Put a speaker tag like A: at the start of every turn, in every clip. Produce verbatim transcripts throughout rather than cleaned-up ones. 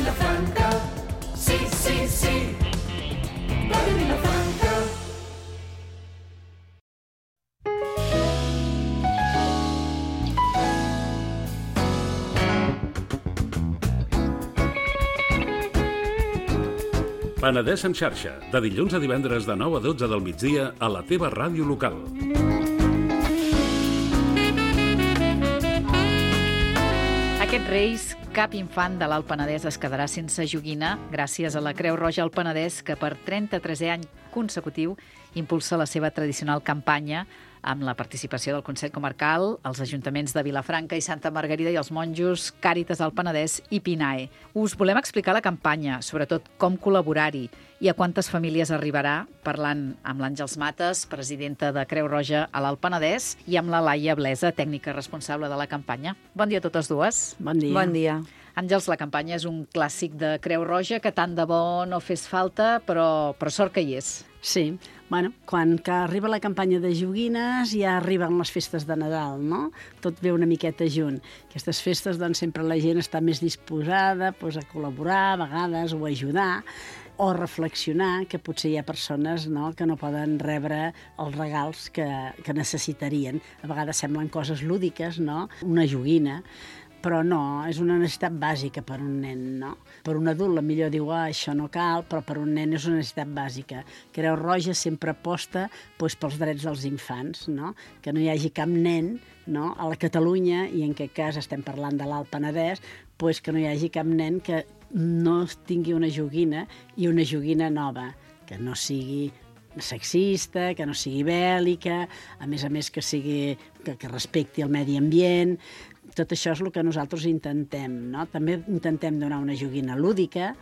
A: Vilafranca, sí, sí, sí, va de Vilafranca.
B: Penedès en xarxa, de dilluns a divendres de nou a dotze del migdia a la teva ràdio local.
C: Aquests Reis, cap infant de l'Alt Penedès es quedarà sense joguina gràcies a la Creu Roja al Penedès, que per trenta-tresè any consecutiu impulsa la seva tradicional campanya amb la participació del Consell Comarcal, els ajuntaments de Vilafranca i Santa Margarida i els monjos, Càritas al Penedès i Pinae. Us volem explicar la campanya, sobretot com col·laborar-hi i a quantes famílies arribarà, parlant amb l'Àngels Mates, presidenta de Creu Roja a l'Alt Penedès, i amb la Laia Blesa, tècnica responsable de la campanya. Bon dia a totes dues.
D: Bon dia.
E: Bon dia.
C: Àngels, la campanya és un clàssic de Creu Roja que tant de bo no fes falta, però, però sort que hi és.
D: Sí, bueno, quan que arriba la campanya de joguines ja arriben les festes de Nadal, no? Tot ve una miqueta junt. Aquestes festes, doncs, sempre la gent està més disposada doncs, a col·laborar, a vegades, o a ajudar, o reflexionar que potser hi ha persones, no?, que no poden rebre els regals que, que necessitarien. A vegades semblen coses lúdiques, no?, una joguina, però no, és una necessitat bàsica per un nen, no? Per un adult, la millor diu, ah, això no cal, però per un nen és una necessitat bàsica. Creu Roja sempre aposta doncs, pels drets dels infants, no? Que no hi hagi cap nen, no?, a la Catalunya, i en aquest cas estem parlant de l'Alt Penedès, doncs que no hi hagi cap nen que no tingui una joguina i una joguina nova, que no sigui sexista, que no sigui bèl·lica, a més a més que sigui que, que respecti el medi ambient. Tot això és el que nosaltres intentem, no? També intentem donar una joguina lúdica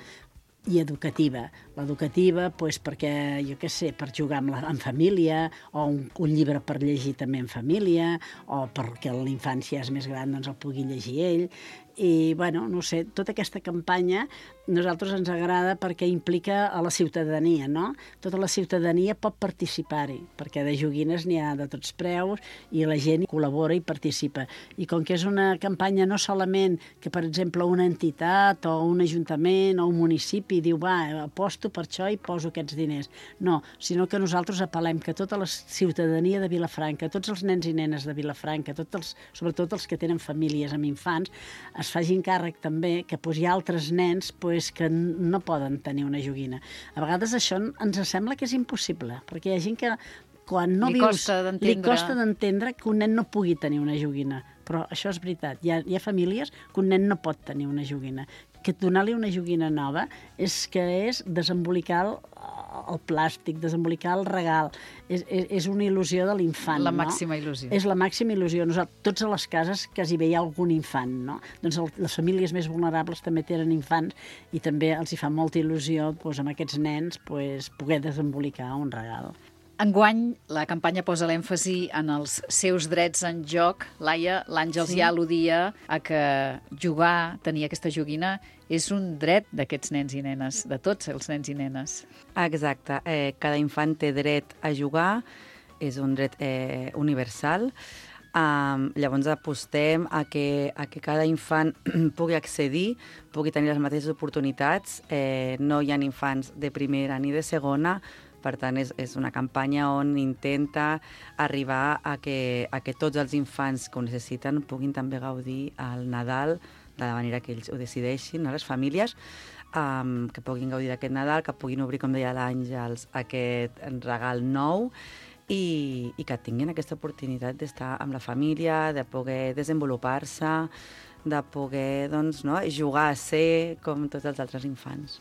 D: i educativa. L'educativa, doncs, perquè, jo què sé, per jugar amb, la, amb família, o un, un llibre per llegir també en família, o perquè l'infant, si és més gran, doncs el pugui llegir ell. I, bueno, no sé, tota aquesta campanya a nosaltres ens agrada perquè implica a la ciutadania, no? Tota la ciutadania pot participar-hi, perquè de joguines n'hi ha de tots preus i la gent col·labora i participa. I com que és una campanya no solament que, per exemple, una entitat o un ajuntament o un municipi diu, va, aposto per això i poso aquests diners. No, sinó que nosaltres apel·lem que tota la ciutadania de Vilafranca, tots els nens i nenes de Vilafranca, tots els, sobretot els que tenen famílies amb infants, es facin càrrec també que doncs, hi ha altres nens doncs, que no poden tenir una joguina. A vegades això ens sembla que és impossible, perquè hi ha gent que quan no
C: li
D: vius,
C: costa
D: li costa d'entendre que un nen no pugui tenir una joguina. Però això és veritat. Hi ha, hi ha famílies que un nen no pot tenir una joguina. Que donar-li una joguina nova és que és desembolicar el, el plàstic, desembolicar el regal. És, és, és una il·lusió de l'infant,
C: La
D: no?
C: màxima il·lusió.
D: És la màxima il·lusió. Nosaltres, tots a les cases quasi bé hi ha algun infant, no? Doncs el, les famílies més vulnerables també tenen infants i també els hi fa molta il·lusió doncs, amb aquests nens doncs, poder desembolicar un regal.
C: Enguany, la campanya posa l'èmfasi en els seus drets en joc. Laia, l'Àngels sí. ja al·ludia a que jugar, tenir aquesta joguina, és un dret d'aquests nens i nenes, de tots els nens i nenes.
E: Exacte. Eh, cada infant té dret a jugar, és un dret eh, universal. Um, llavors apostem a que, a que cada infant pugui accedir, pugui tenir les mateixes oportunitats. Eh, no hi ha infants de primera ni de segona. Per tant, és, és una campanya on intenta arribar a que, a que tots els infants que ho necessiten puguin també gaudir al Nadal de la manera que ells ho decideixin, no? Les famílies, um, que puguin gaudir d'aquest Nadal, que puguin obrir, com deia l'Àngels, aquest regal nou i, i que tinguin aquesta oportunitat d'estar amb la família, de poder desenvolupar-se, de poder doncs, no? jugar a ser com tots els altres infants.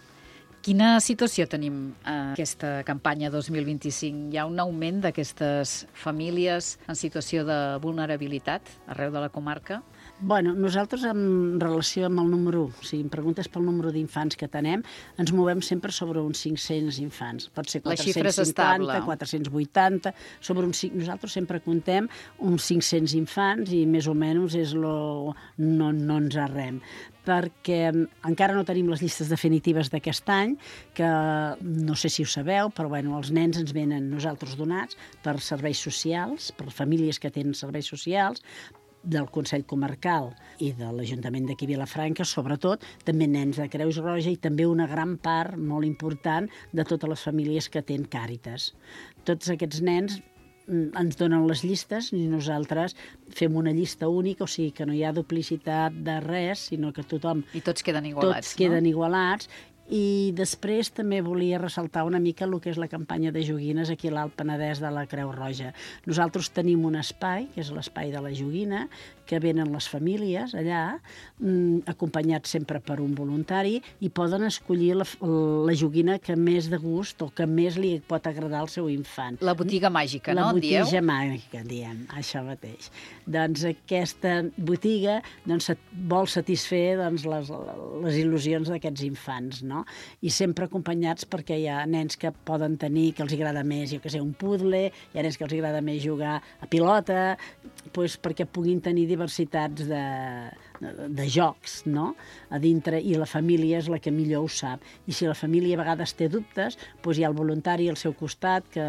C: Quina situació tenim a aquesta campanya dos mil vint-i-cinc? Hi ha un augment d'aquestes famílies en situació de vulnerabilitat arreu de la comarca?
D: Bueno, nosaltres en relació amb el número, si em preguntes pel número d'infants que tenem, ens movem sempre sobre uns cinc-cents infants. Pot ser quatre-cents cinquanta, quatre-cents vuitanta, sobre uns, nosaltres sempre contem uns cinc-cents infants i més o menys és lo, no, no ens arrem. Perquè encara no tenim les llistes definitives d'aquest any, que no sé si ho sabeu, però bueno, els nens ens venen nosaltres donats per serveis socials, per famílies que tenen serveis socials, del Consell Comarcal i de l'Ajuntament d'aquí Vilafranca, sobretot, també nens de Creus Roja i també una gran part molt important de totes les famílies que tenen Càritas. Tots aquests nens ens donen les llistes i nosaltres fem una llista única, o sigui que no hi ha duplicitat de res, sinó que tothom...
C: I tots queden igualats,
D: tots queden igualats. I després també volia ressaltar una mica el que és la campanya de joguines aquí a l'Alt Penedès de la Creu Roja. Nosaltres tenim un espai, que és l'espai de la joguina, que venen les famílies allà, acompanyats sempre per un voluntari, i poden escollir la, la joguina que més de gust o que més li pot agradar al seu infant.
C: La botiga màgica,
D: la
C: no?
D: La botiga
C: dieu?
D: màgica, diem, això mateix. Doncs aquesta botiga doncs, vol satisfer doncs, les, les il·lusions d'aquests infants, no? I sempre acompanyats perquè hi ha nens que poden tenir, que els agrada més, jo que sé, un puzzle, hi ha nens que els agrada més jugar a pilota, doncs perquè puguin tenir diversitats de, de, de jocs, no? A dintre, i la família és la que millor ho sap. I si la família a vegades té dubtes, doncs hi ha el voluntari al seu costat que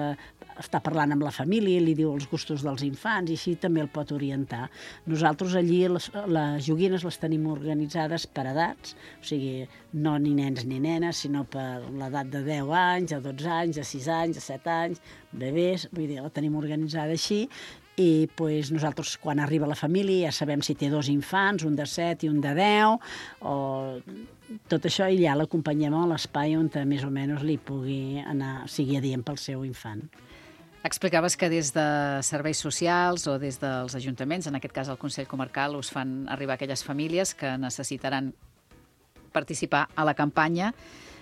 D: està parlant amb la família, li diu els gustos dels infants i així també el pot orientar. Nosaltres allí les, les joguines les tenim organitzades per edats, o sigui, no ni nens ni nenes, sinó per l'edat de deu anys, a dotze anys, a sis anys, a set anys, bebès, vull dir, la tenim organitzada així. I pues, nosaltres, quan arriba la família, ja sabem si té dos infants, un de set i un de deu, o tot això, i ja l'acompanyem a l'espai on més o menys li pugui anar, sigui adient pel seu infant.
C: Explicaves que des de serveis socials o des dels ajuntaments, en aquest cas el Consell Comarcal, us fan arribar aquelles famílies que necessitaran participar a la campanya.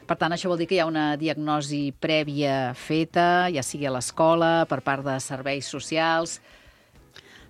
C: Per tant, això vol dir que hi ha una diagnosi prèvia feta, ja sigui a l'escola, per part de serveis socials.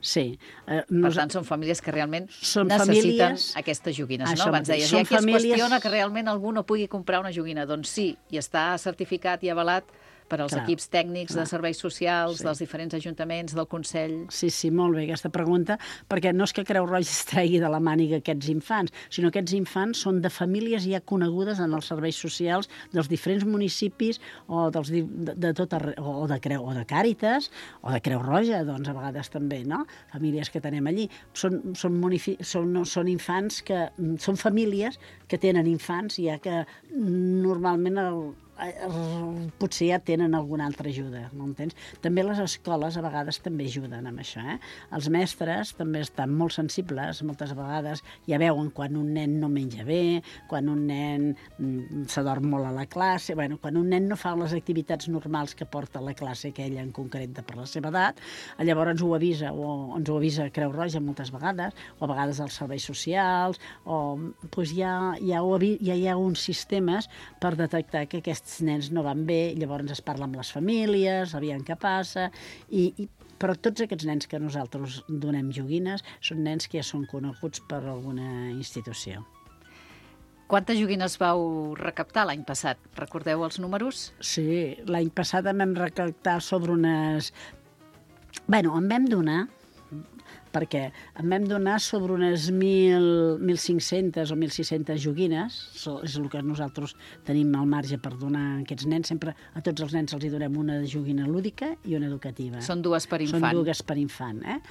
D: Sí.
C: Eh, per tant, són famílies que realment
D: són
C: necessiten
D: famílies...
C: aquestes joguines,
D: Això
C: no? Abans
D: mateix.
C: deies,
D: Són
C: hi ha qui
D: famílies...
C: es qüestiona que realment algú no pugui comprar una joguina. Doncs sí, i està certificat i avalat per als
D: Clar,
C: equips tècnics
D: clar.
C: de serveis socials,
D: Sí.
C: dels diferents ajuntaments, del Consell.
D: Sí, sí, molt bé aquesta pregunta, perquè no és que Creu Roja es tregui de la màniga aquests infants, sinó que aquests infants són de famílies ja conegudes en els serveis socials dels diferents municipis o dels, de, de tot arreu, o de Creu, o de Càritas, o de Creu Roja, doncs a vegades també, no? Famílies que tenim allí. Són, són, munifi- són, no, són infants que... Són famílies que tenen infants ja que normalment el, potser ja tenen alguna altra ajuda, no entens? També les escoles a vegades també ajuden amb això, eh? Els mestres també estan molt sensibles, moltes vegades ja veuen quan un nen no menja bé, quan un nen mm, s'adorm molt a la classe, bueno, quan un nen no fa les activitats normals que porta a la classe aquella en concret de per la seva edat, llavors ens ho avisa, o ens ho avisa Creu Roja moltes vegades, o a vegades els serveis socials, o doncs ja, ja, ho, ja hi ha uns sistemes per detectar que aquests nens no van bé, llavors es parla amb les famílies, aviam què passa, i, i, però tots aquests nens que nosaltres donem joguines són nens que ja són coneguts per alguna institució.
C: Quantes joguines vau recaptar l'any passat? Recordeu els números?
D: Sí, l'any passat en vam recaptar sobre unes... Bueno, en vam donar... perquè en vam donar sobre unes mil cinc-centes o mil sis-centes joguines, és el que nosaltres tenim al marge per donar a aquests nens. Sempre a tots els nens els hi donem una joguina lúdica i una educativa.
C: Són dues per infant.
D: Són dues per infant, eh?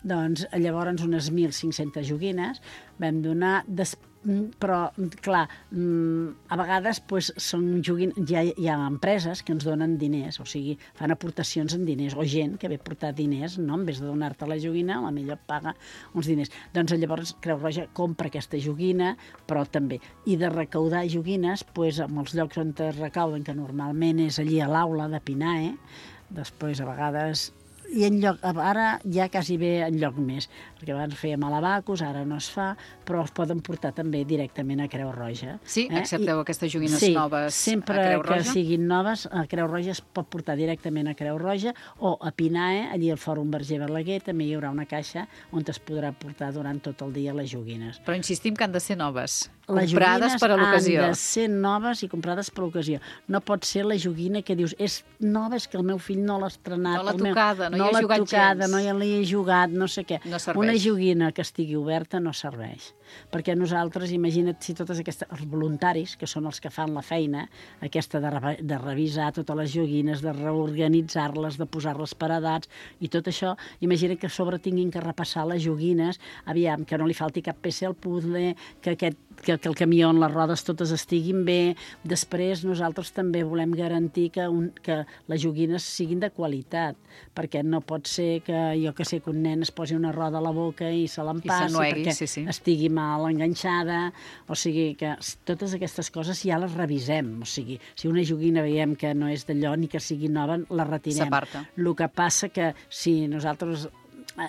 D: Doncs llavors unes mil cinc-centes joguines vam donar, des... però, clar, a vegades pues, són joguin... hi, ha, hi ha empreses que ens donen diners, o sigui, fan aportacions en diners, o gent que ve a portar diners, no? En vez de donar-te la joguina, la millor paga uns diners. Doncs llavors Creu Roja compra aquesta joguina, però també. I de recaudar joguines, pues, en els llocs on es recauden, que normalment és allí a l'aula de Pinae, després a vegades... I en lloc, ara ja quasi bé en lloc més, perquè abans fèiem a l'Abacus, ara no es fa, però es poden portar també directament a Creu Roja.
C: Sí?
D: Eh?
C: Accepteu
D: I,
C: aquestes joguines
D: sí,
C: noves
D: sempre
C: a Creu Roja?
D: que siguin noves, a Creu Roja es pot portar directament a Creu Roja, o a Pinae, allí al Fòrum Verger Balaguer, també hi haurà una caixa on es podrà portar durant tot el dia les joguines.
C: Però insistim que han de ser noves,
D: Les
C: comprades per a l'ocasió.
D: han de ser noves i comprades per l'ocasió. No pot ser la joguina que dius, és nova, és que el meu fill no l'ha estrenat.
C: No l'ha
D: el meu...
C: tocada, no No hi
D: no
C: he
D: l'ha
C: jugat
D: tocada,
C: gens.
D: no hi l'he jugat, no sé què.
C: No serveix.
D: Una joguina que estigui oberta no serveix. Perquè nosaltres, imagina't si totes aquestes, els voluntaris, que són els que fan la feina, aquesta de, re, de revisar totes les joguines, de reorganitzar-les, de posar-les per edats, i tot això, imagina't que a sobre tinguin que repassar les joguines, aviam, que no li falti cap peça al puzzle, que, aquest, que, que el camió on les rodes totes estiguin bé. Després nosaltres també volem garantir que, un, que les joguines siguin de qualitat, perquè no pot ser que, jo que sé, que un nen es posi una roda a la boca i se l'empassi perquè
C: sí, sí.
D: estigui mal enganxada, o sigui que totes aquestes coses ja les revisem, o sigui, si una joguina veiem que no és d'allò ni que sigui nova, la retirem.
C: S'aparta.
D: El que passa que si nosaltres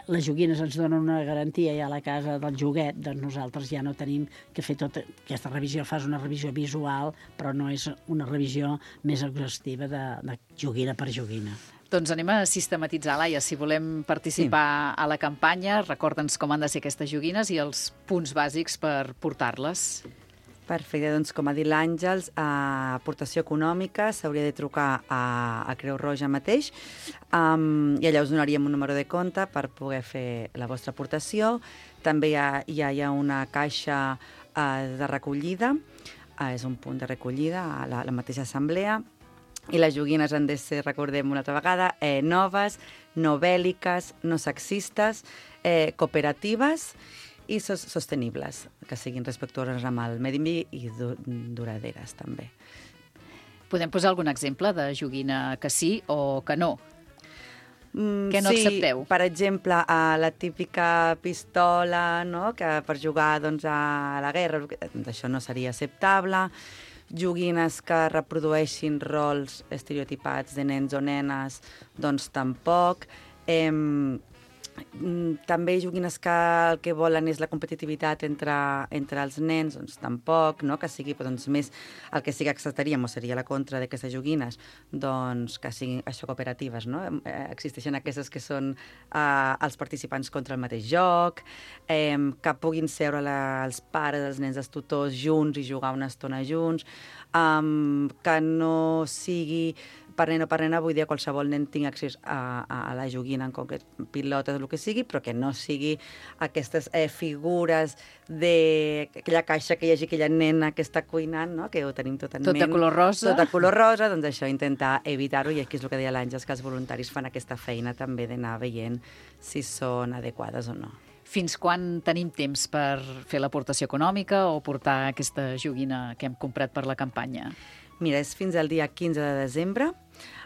D: les joguines ens donen una garantia ja a la casa del joguet, doncs nosaltres ja no tenim que fer tota aquesta revisió. Fas una revisió visual, però no és una revisió més exhaustiva de, de joguina per joguina.
C: Doncs anem a sistematitzar, Laia. Si volem participar sí. a la campanya, recorda'ns com han de ser aquestes joguines i els punts bàsics per portar-les.
E: Perfecte, doncs com ha dit l'Àngels, a aportació econòmica s'hauria de trucar a, a Creu Roja mateix um, i allà us donaríem un número de compte per poder fer la vostra aportació. També hi ha, ja hi ha una caixa uh, de recollida, uh, és un punt de recollida a la, la mateixa assemblea, i les joguines han de ser, recordem una altra vegada, eh, noves, no bèl·liques, no sexistes, eh, cooperatives i sos sostenibles, que siguin respectuoses amb el medi ambient i du duraderes, també.
C: Podem posar algun exemple de joguina que sí o que no?
E: Mm,
C: Què no
E: sí,
C: accepteu?
E: Per exemple, a la típica pistola, no?, que per jugar doncs, a la guerra, doncs, això no seria acceptable. Joguines que reprodueixin rols estereotipats de nens o nenes, doncs tampoc. Eh, també joguines que el que volen és la competitivitat entre, entre els nens, doncs tampoc, no? Que sigui doncs, més el que sí que acceptaríem, o seria la contra d'aquestes joguines, doncs que siguin això cooperatives, no? Eh, existeixen aquestes que són eh, els participants contra el mateix joc, eh, que puguin seure la, els pares, els nens, els tutors junts i jugar una estona junts, eh, que no sigui per nen o per nena, vull dir, qualsevol nen tingui accés a, a, a la joguina, en concret, pilotes, el que sigui, però que no sigui aquestes eh, figures d'aquella caixa que hi hagi aquella nena que està cuinant, no?, que ho tenim tot en
C: tot
E: ment.
C: Tot de color rosa.
E: Tot de color rosa, doncs això, intentar evitar-ho, i aquí és el que deia l'Àngels, que els voluntaris fan aquesta feina també d'anar veient si són adequades o no.
C: Fins quan tenim temps per fer l'aportació econòmica o portar aquesta joguina que hem comprat per la campanya?
E: Mira, és fins al dia quinze de desembre,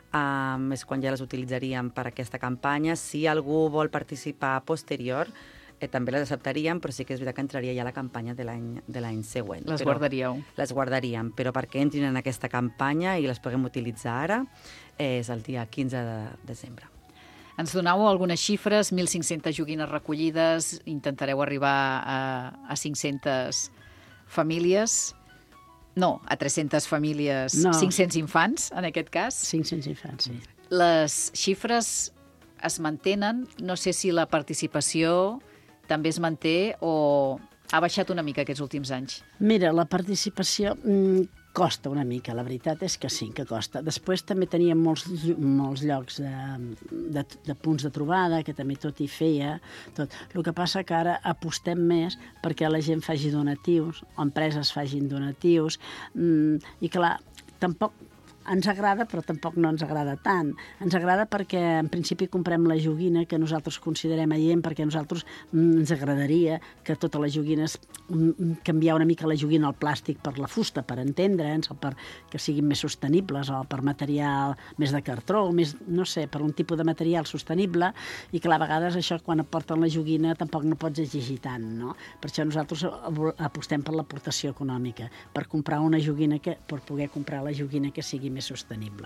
E: um, és quan ja les utilitzaríem per aquesta campanya. Si algú vol participar posterior, eh, també les acceptaríem, però sí que és veritat que entraria ja a la campanya de l'any següent.
C: Les
E: però
C: guardaríeu?
E: Les guardaríem, però perquè entrin en aquesta campanya i les puguem utilitzar ara, eh, és el dia quinze de desembre.
C: Ens donau algunes xifres, mil cinc-centes joguines recollides, intentareu arribar a, a cinc-centes famílies... No, a tres-centes famílies, no. cinc-cents infants, en aquest cas.
D: cinc-cents infants, sí.
C: Les xifres es mantenen. No sé si la participació també es manté o ha baixat una mica aquests últims anys.
D: Mira, la participació mmm, costa una mica, la veritat és que sí, que costa. Després també teníem molts, molts llocs de, de, de punts de trobada, que també tot hi feia. Tot. El que passa que ara apostem més perquè la gent faci donatius, o empreses facin donatius, mmm, i clar, tampoc ens agrada, però tampoc no ens agrada tant. Ens agrada perquè, en principi, comprem la joguina que nosaltres considerem adient, perquè a nosaltres mm, ens agradaria que totes les joguines, mm, canviar una mica la joguina al plàstic per la fusta, per entendre'ns, o per que siguin més sostenibles, o per material més de cartró, o més, no sé, per un tipus de material sostenible, i clar, a vegades això, quan aporten la joguina, tampoc no pots exigir tant, no? Per això nosaltres apostem per l'aportació econòmica, per comprar una joguina, que, per poder comprar la joguina que sigui més sostenible.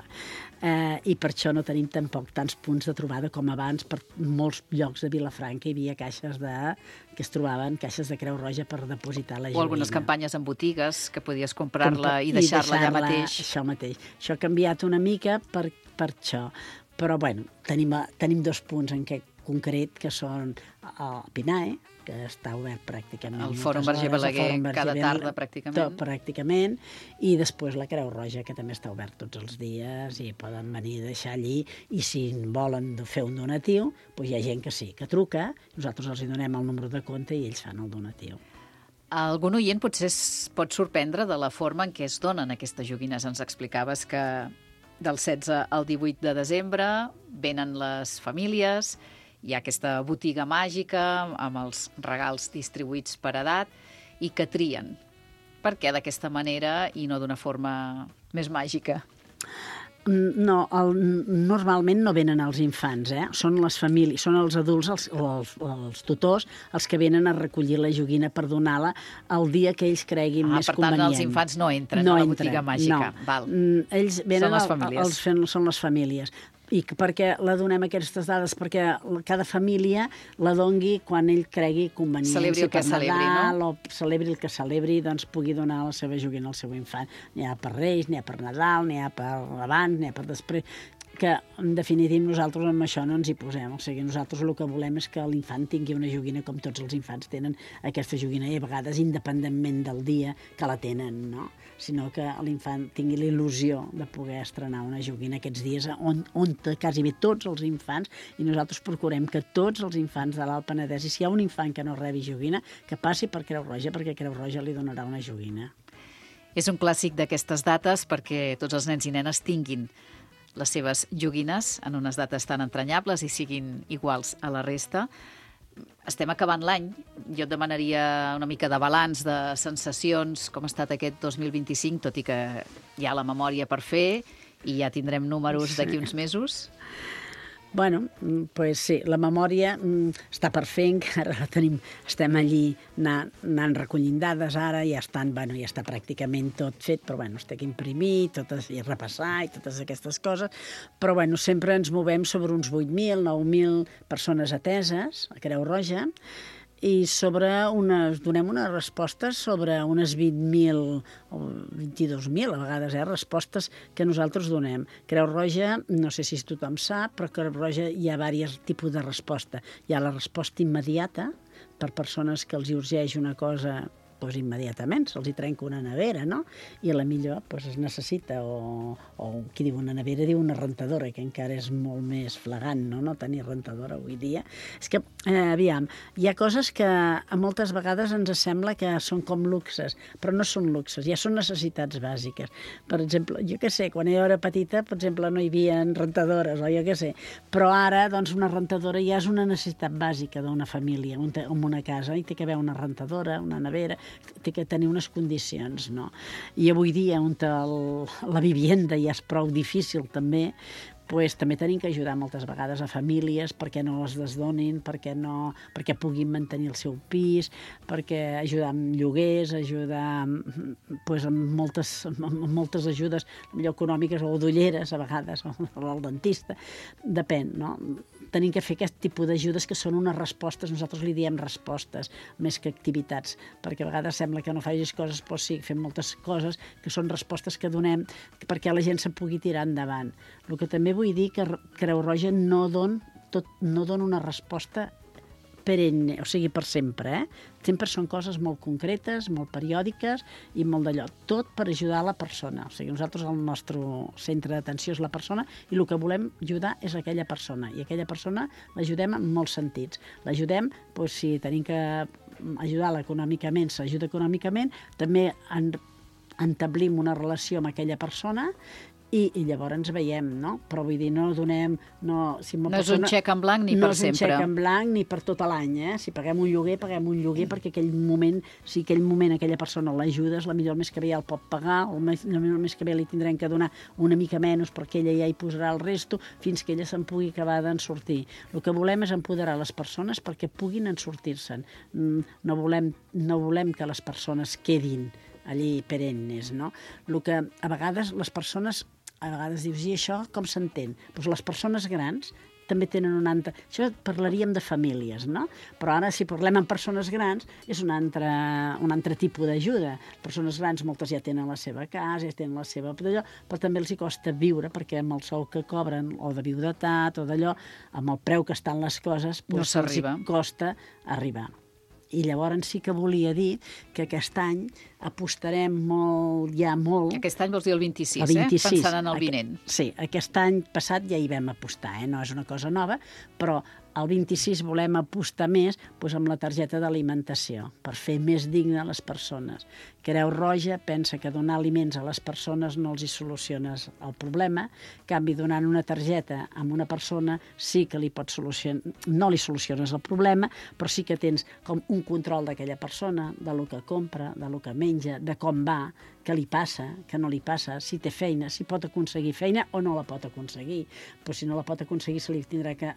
D: Eh, I per això no tenim tampoc tants punts de trobada com abans. Per molts llocs de Vilafranca hi havia caixes de, que es trobaven, caixes de Creu Roja per depositar la joguina.
C: O algunes campanyes en botigues, que podies comprar-la i deixar-la allà mateix.
D: Això mateix. Això ha canviat una mica per, per això. Però, bueno, tenim, tenim dos punts en què concret, que són el Pinae, que està obert pràcticament.
C: El Fòrum Verger Balaguer cada tarda, pràcticament.
D: Tot, pràcticament. I després la Creu Roja, que també està obert tots els dies i poden venir a deixar allí. I si volen fer un donatiu, doncs hi ha gent que sí, que truca, nosaltres els hi donem el número de compte i ells fan el donatiu.
C: Algun oient potser es pot sorprendre de la forma en què es donen aquestes joguines. Ens explicaves que del setze al divuit de desembre venen les famílies, hi ha aquesta botiga màgica amb els regals distribuïts per edat i que trien. Per què d'aquesta manera i no d'una forma més màgica?
D: No, el, normalment no venen els infants, eh? Són les famílies, són els adults, els, els, els tutors, els que venen a recollir la joguina per donar-la el dia que ells creguin
C: ah,
D: més
C: per
D: convenient.
C: Per tant, els infants no entren
D: no
C: a la
D: entren,
C: botiga màgica.
D: No.
C: Val.
D: Ells venen
C: són les famílies.
D: Els, els, són les famílies. I que perquè la donem aquestes dades? Perquè cada família la dongui quan ell cregui convenient.
C: Celebri el que celebri,
D: Nadal,
C: no?
D: O celebri el que celebri, doncs pugui donar la seva joguina al seu infant. N'hi ha per Reis, n'hi ha per Nadal, n'hi ha per abans, n'hi ha per després, que en definitiva nosaltres amb això no ens hi posem. O sigui, nosaltres el que volem és que l'infant tingui una joguina com tots els infants tenen aquesta joguina i a vegades independentment del dia que la tenen, no? Sinó que l'infant tingui la il·lusió de poder estrenar una joguina aquests dies on, on quasi bé tots els infants, i nosaltres procurem que tots els infants de l'Alt Penedès, i si hi ha un infant que no rebi joguina, que passi per Creu Roja, perquè Creu Roja li donarà una joguina.
C: És un clàssic d'aquestes dates perquè tots els nens i nenes tinguin les seves joguines en unes dates tan entranyables i siguin iguals a la resta. Estem acabant l'any. Jo et demanaria una mica de balanç, de sensacions, com ha estat aquest dos mil vint-i-cinc, tot i que hi ha la memòria per fer i ja tindrem números d'aquí uns mesos.
D: Bueno, pues sí, la memòria està per fer, encara la tenim, estem allí anant, anant recollint dades ara, ja estan, bueno, ja està pràcticament tot fet, però bueno, es té que imprimir totes, i repassar i totes aquestes coses, però bueno, sempre ens movem sobre uns vuit mil, nou mil persones ateses a Creu Roja, i sobre unes, donem unes respostes sobre unes vint mil o vint-i-dos mil, a vegades, eh, respostes que nosaltres donem. Creu Roja, no sé si tothom sap, però Creu Roja hi ha diversos tipus de resposta. Hi ha la resposta immediata, per persones que els hi urgeix una cosa doncs immediatament, se'ls hi trenca una nevera, no? I a la millor doncs, es necessita, o, o qui diu una nevera diu una rentadora, que encara és molt més flagrant, no? No tenir rentadora avui dia. És que, eh, aviam, hi ha coses que a moltes vegades ens sembla que són com luxes, però no són luxes, ja són necessitats bàsiques. Per exemple, jo què sé, quan jo era petita, per exemple, no hi havia rentadores, o jo què sé, però ara, doncs, una rentadora ja és una necessitat bàsica d'una família, en una casa, i té que haver una rentadora, una nevera, té que tenir unes condicions, no? I avui dia, on el, la vivienda ja és prou difícil també, pues, també tenim que ajudar moltes vegades a famílies perquè no les desdonin, perquè, no, perquè puguin mantenir el seu pis, perquè ajudar amb lloguers, ajudar pues, amb, moltes, amb moltes ajudes millor econòmiques o d'ulleres a vegades, o al dentista, depèn, no? Tenim que fer aquest tipus d'ajudes que són unes respostes, nosaltres li diem respostes més que activitats, perquè a vegades sembla que no facis coses, però sí, fem moltes coses que són respostes que donem perquè la gent se pugui tirar endavant. El que també vull dir que Creu Roja no don, tot, no dona una resposta perenne, o sigui, per sempre, eh? Sempre són coses molt concretes, molt periòdiques i molt d'allò. Tot per ajudar la persona. O sigui, nosaltres el nostre centre d'atenció és la persona i el que volem ajudar és aquella persona. I aquella persona l'ajudem en molts sentits. L'ajudem, doncs, si tenim que ajudar-la econòmicament, s'ajuda econòmicament, també en, entablim una relació amb aquella persona i, i llavors ens veiem, no? Però vull dir, no donem... No, si
C: no és un xec en blanc ni per sempre.
D: No és un xec en blanc ni per tot l'any, eh? Si paguem un lloguer, paguem un lloguer perquè aquell moment, si aquell moment aquella persona l'ajudes, la millor el mes que ve ja el pot pagar, el mes, el mes que ve li tindrem que donar una mica menys perquè ella ja hi posarà el resto fins que ella se'n pugui acabar d'en sortir. El que volem és empoderar les persones perquè puguin en sortir-se'n. No volem, no volem que les persones quedin allí perennes, no? El que a vegades les persones a vegades dius, i això com s'entén? Doncs les persones grans també tenen un altre... Això parlaríem de famílies, no? Però ara, si parlem amb persones grans, és un altre, un altre tipus d'ajuda. Persones grans, moltes ja tenen la seva casa, ja tenen la seva... però també els hi costa viure, perquè amb el sou que cobren, o de viudetat, o d'allò, amb el preu que estan les coses, doncs
C: no s'arriba.
D: Els hi costa arribar. I llavors sí que volia dir que aquest any apostarem molt, ja molt...
C: Aquest any vols dir el vint-i-sis,
D: el vint-i-sis,
C: eh? Pensant en el vinent.
D: Sí, aquest any passat ja hi vam apostar, eh? No és una cosa nova, però el vint-i-sis volem apostar més doncs, amb la targeta d'alimentació, per fer més digne a les persones. Creu Roja pensa que donar aliments a les persones no els hi soluciones el problema, en canvi, donant una targeta a una persona sí que li pot solucionar, no li soluciones el problema, però sí que tens com un control d'aquella persona, de lo que compra, de lo que menja, de com va, què li passa, què no li passa, si té feina, si pot aconseguir feina o no la pot aconseguir. Però si no la pot aconseguir, se li tindrà que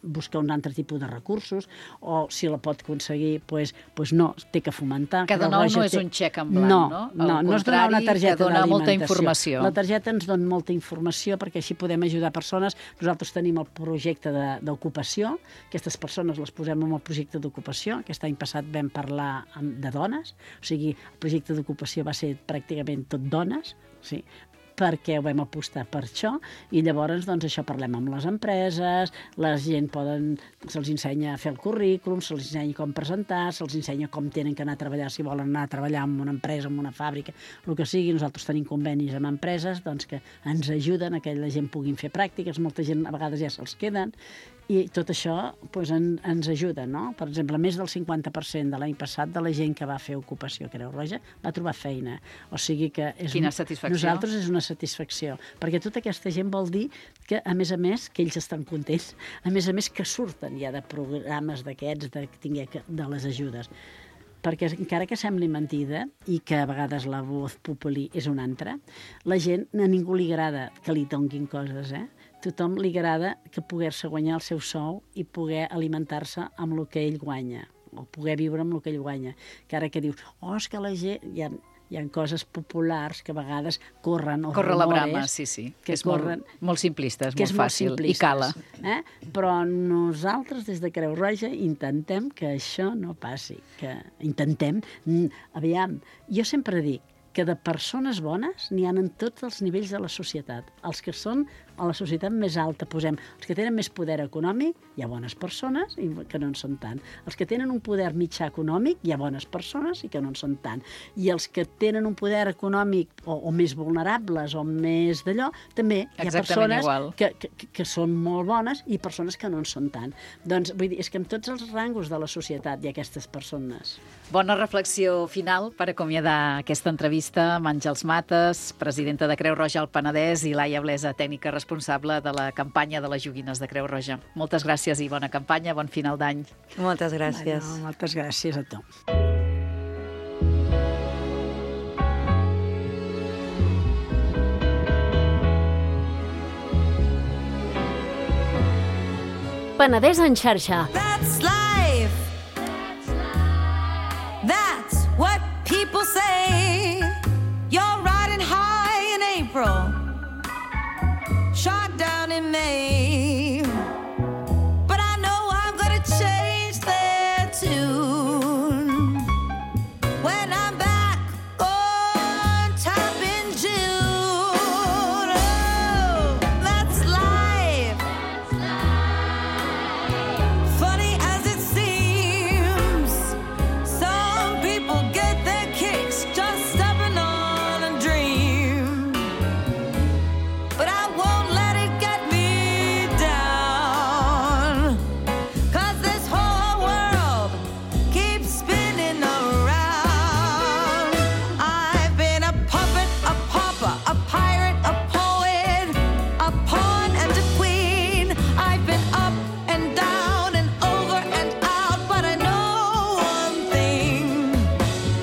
D: buscar un altre tipus de recursos, o si la pot aconseguir, doncs, doncs no, té que fomentar.
C: Que de nou no és té... un xec en blanc,
D: no?
C: No,
D: no, no és donar una targeta
C: que dona molta
D: d'alimentació.
C: informació.
D: La targeta ens dona molta informació perquè així podem ajudar persones. Nosaltres tenim el projecte d'ocupació, aquestes persones les posem en el projecte d'ocupació. Aquest any passat vam parlar de dones, o sigui, el projecte d'ocupació va ser pràcticament tot dones, sí, perquè ho vam apostar per això, i llavors doncs, això parlem amb les empreses, la gent poden, se'ls ensenya a fer el currículum, se'ls ensenya com presentar, se'ls ensenya com tenen que anar a treballar, si volen anar a treballar en una empresa, en una fàbrica, el que sigui. Nosaltres tenim convenis amb empreses doncs, que ens ajuden a que la gent puguin fer pràctiques, molta gent a vegades ja se'ls queden, i tot això doncs, en, ens ajuda, no? Per exemple, més del cinquanta per cent de l'any passat de la gent que va fer ocupació a Creu Roja va trobar feina. O sigui que és
C: Quina
D: un,
C: satisfacció.
D: Nosaltres és una satisfacció, perquè tota aquesta gent vol dir que, a més a més, que ells estan contents, a més a més que surten ja de programes d'aquests, de, de les ajudes. Perquè encara que sembli mentida i que a vegades la voz populi és una altra, la gent, a ningú li agrada que li donguin coses, eh? Tothom li agrada que poder-se guanyar el seu sou i poder alimentar-se amb el que ell guanya, o poder viure amb el que ell guanya. Que ara que dius, oh, és que la gent... Hi ha, hi ha coses populars que a vegades corren, o
C: Corre la
D: rumores,
C: brama, sí, sí.
D: que
C: és
D: corren,
C: molt, molt simplista, és
D: que
C: molt
D: és
C: fàcil,
D: molt
C: i cala.
D: Eh? Però nosaltres, des de Creu Roja, intentem que això no passi. Que intentem... Aviam, jo sempre dic que de persones bones n'hi ha en tots els nivells de la societat. Els que són a la societat més alta, posem, els que tenen més poder econòmic, hi ha bones persones i que no en són tant. Els que tenen un poder mitjà econòmic, hi ha bones persones i que no en són tant. I els que tenen un poder econòmic o, o més vulnerables o més d'allò, també hi ha
C: Exactament
D: persones que, que, que són molt bones i persones que no en són tant. Doncs vull dir, és que en tots els rangos de la societat hi ha aquestes persones.
C: Bona reflexió final per acomiadar aquesta entrevista amb Àngels Mates, presidenta de Creu Roja al Penedès, i Laia Blesa, tècnica responsable de la campanya de les joguines de Creu Roja. Moltes gràcies i bona campanya, bon final d'any.
E: Moltes gràcies.
D: Bueno, moltes gràcies a tu.
F: Penedès en xarxa.
G: That's life. That's what people say. You're riding high in April, shot down in May. But I know I'm gonna change their tune when I'm back on top in June. Oh, that's life. Funny as it seems, some people get their kicks just stepping on a dream. But I won't let it get me down, 'cause this whole world keeps spinning around. I've been a puppet, a pauper, a pirate, a poet, a pawn and a queen. I've been up and down and over and out, but I know one thing.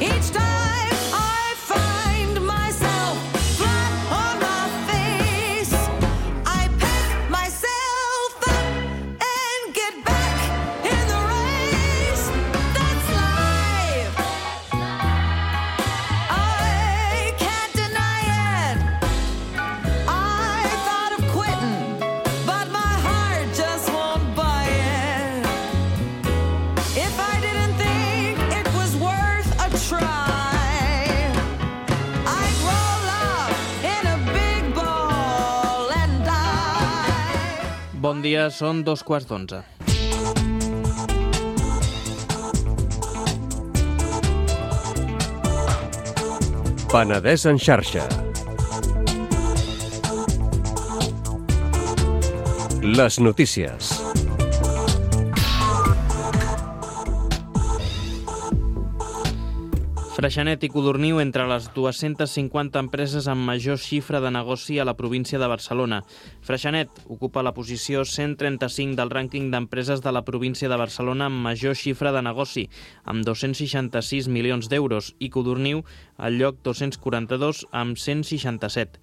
G: Each time I find myself flat on my face, I pick myself up and get back in the race. That's life. I can't deny it. I thought of quitting, but my heart just won't buy it. If I didn't think it was worth a try, I'd roll up in a big ball and die.
H: Bon dia, són dos quarts d'onze. Penedès en xarxa. Les notícies.
I: Freixenet i Codorniu entre les dues-centes cinquanta empreses amb major xifra de negoci a la província de Barcelona. Freixenet ocupa la posició cent trenta-cinc del rànquing d'empreses de la província de Barcelona amb major xifra de negoci, amb dos-cents seixanta-sis milions d'euros, i Codorniu al lloc dos-cents quaranta-dos amb cent seixanta-set.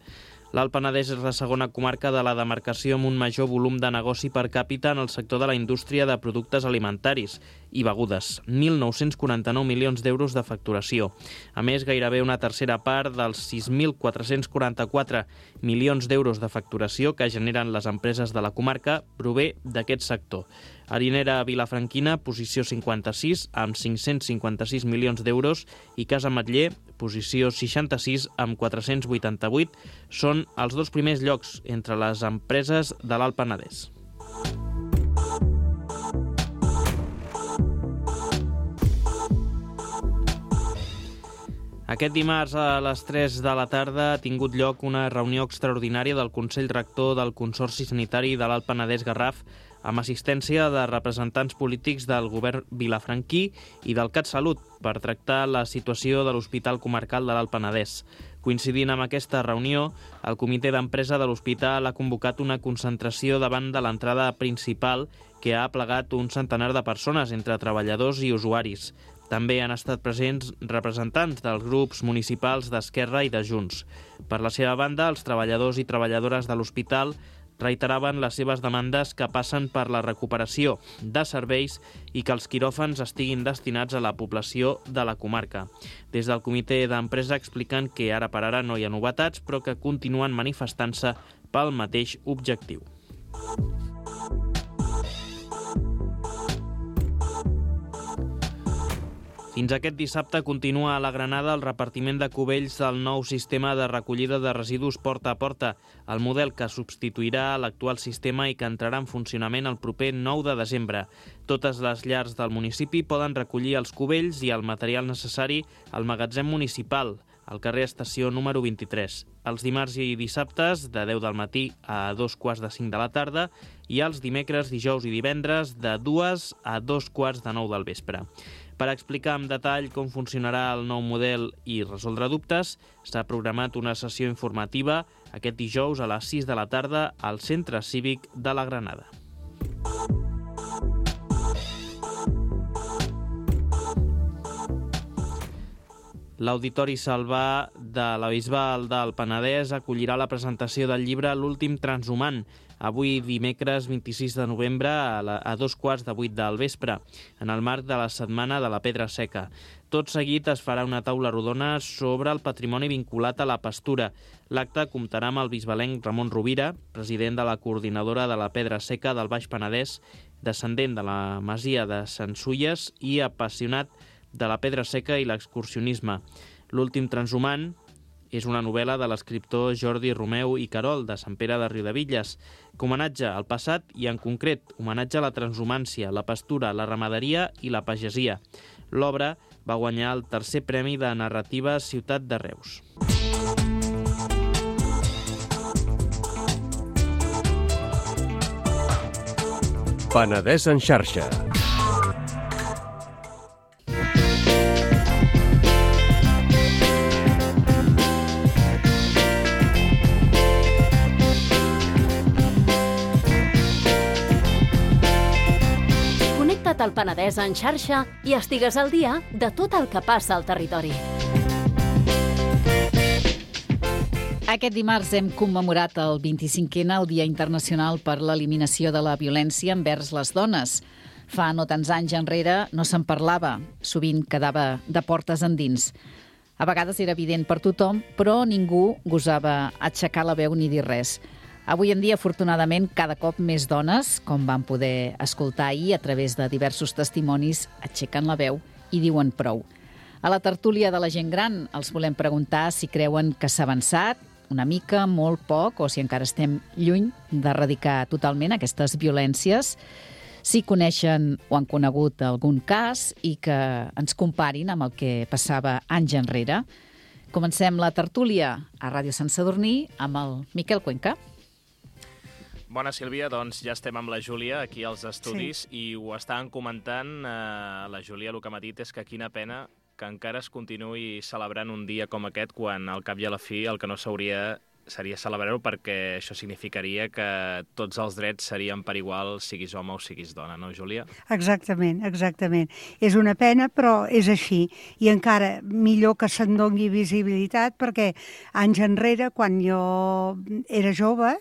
I: L'Alt Penedès és la segona comarca de la demarcació amb un major volum de negoci per càpita en el sector de la indústria de productes alimentaris i begudes, mil nou-cents quaranta-nou milions d'euros de facturació. A més, gairebé una tercera part dels sis mil quatre-cents quaranta-quatre milions d'euros de facturació que generen les empreses de la comarca prové d'aquest sector. Harinera Vilafranquina, posició cinquanta-sis, amb cinc-cents cinquanta-sis milions d'euros, i Casa Ametller, posició seixanta-sis, amb quatre-cents vuitanta-vuit, són els dos primers llocs entre les empreses de l'Alt Penedès. Aquest dimarts a les tres de la tarda ha tingut lloc una reunió extraordinària del Consell Rector del Consorci Sanitari de l'Alt Penedès-Garraf amb assistència de representants polítics del govern vilafranquí i del CatSalut per tractar la situació de l'Hospital Comarcal de l'Alt Penedès. Coincidint amb aquesta reunió, el comitè d'empresa de l'hospital ha convocat una concentració davant de l'entrada principal que ha aplegat un centenar de persones entre treballadors i usuaris. També han estat presents representants dels grups municipals d'Esquerra i de Junts. Per la seva banda, els treballadors i treballadores de l'hospital reiteraven les seves demandes que passen per la recuperació de serveis i que els quiròfans estiguin destinats a la població de la comarca. Des del comitè d'empresa expliquen que ara per ara no hi ha novetats, però que continuen manifestant-se pel mateix objectiu. Fins aquest dissabte continua a la Granada el repartiment de cubells del nou sistema de recollida de residus porta a porta, el model que substituirà l'actual sistema i que entrarà en funcionament el proper nou de desembre. Totes les llars del municipi poden recollir els cubells i el material necessari al magatzem municipal, al carrer Estació número vint-i-tres, els dimarts i dissabtes de deu del matí a dos quarts de cinc de la tarda i els dimecres, dijous i divendres de dues a dos quarts de nou del vespre. Per explicar amb detall com funcionarà el nou model i resoldre dubtes, s'ha programat una sessió informativa aquest dijous a les sis de la tarda al Centre Cívic de la Granada. L'Auditori Salvà de la Bisbal del Penedès acollirà la presentació del llibre L'últim transhumant, avui dimecres vint-i-sis de novembre a, la, a dos quarts de vuit del vespre, en el marc de la Setmana de la Pedra Seca. Tot seguit es farà una taula rodona sobre el patrimoni vinculat a la pastura. L'acte comptarà amb el bisbalenc Ramon Rovira, president de la Coordinadora de la Pedra Seca del Baix Penedès, descendent de la masia de Sant Sulles i apassionat de la pedra seca i l'excursionisme. L'últim transhumant és una novel·la de l'escriptor Jordi Romeu i Carol, de Sant Pere de Riudebitlles, que homenatge al passat i, en concret, homenatge a la transhumància, la pastura, la ramaderia i la pagesia. L'obra va guanyar el tercer premi de narrativa Ciutat de Reus.
H: Penedès en xarxa.
F: Al Penedès en xarxa i estigues al dia de tot el que passa al territori.
C: Aquest dimarts hem commemorat el vint-i-cinquè, el Dia Internacional per l'Eliminació de la Violència envers les dones. Fa no tants anys enrere no se'n parlava, sovint quedava de portes endins. A vegades era evident per tothom, però ningú gosava aixecar la veu ni dir res. Avui en dia, afortunadament, cada cop més dones, com vam poder escoltar ahir a través de diversos testimonis, aixequen la veu i diuen prou. A la tertúlia de la gent gran els volem preguntar si creuen que s'ha avançat, una mica, molt poc, o si encara estem lluny d'erradicar totalment aquestes violències, si coneixen o han conegut algun cas i que ens comparin amb el que passava anys enrere. Comencem la tertúlia a Ràdio Sant Sadurní amb el Miquel Cuenca.
J: Bona, Sílvia, doncs ja estem amb la Júlia aquí als estudis sí. I ho estàvem comentant. Eh, la Júlia el que m'ha dit és que quina pena que encara es continuï celebrant un dia com aquest quan al cap i a la fi el que no s'hauria seria celebrar-ho perquè això significaria que tots els drets serien per igual, siguis home o siguis dona, no, Júlia?
K: Exactament, exactament. És una pena, però és així. I encara millor que se'n doni visibilitat perquè anys enrere, quan jo era jove,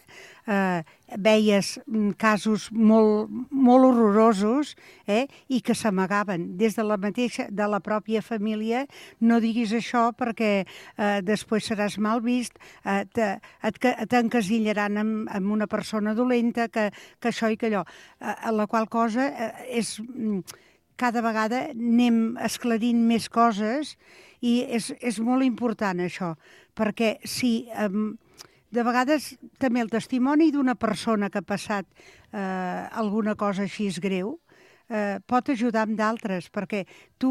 K: eh, veies casos molt, molt horrorosos eh, i que s'amagaven des de la mateixa, de la pròpia família. No diguis això perquè eh, després seràs mal vist, eh, te, et, t'encasillaran amb, amb una persona dolenta, que, que això i que allò. Eh, la qual cosa eh, és... Cada vegada anem esclarint més coses i és, és molt important això, perquè si... Eh, de vegades també el testimoni d'una persona que ha passat eh, alguna cosa així greu eh, pot ajudar amb d'altres, perquè tu,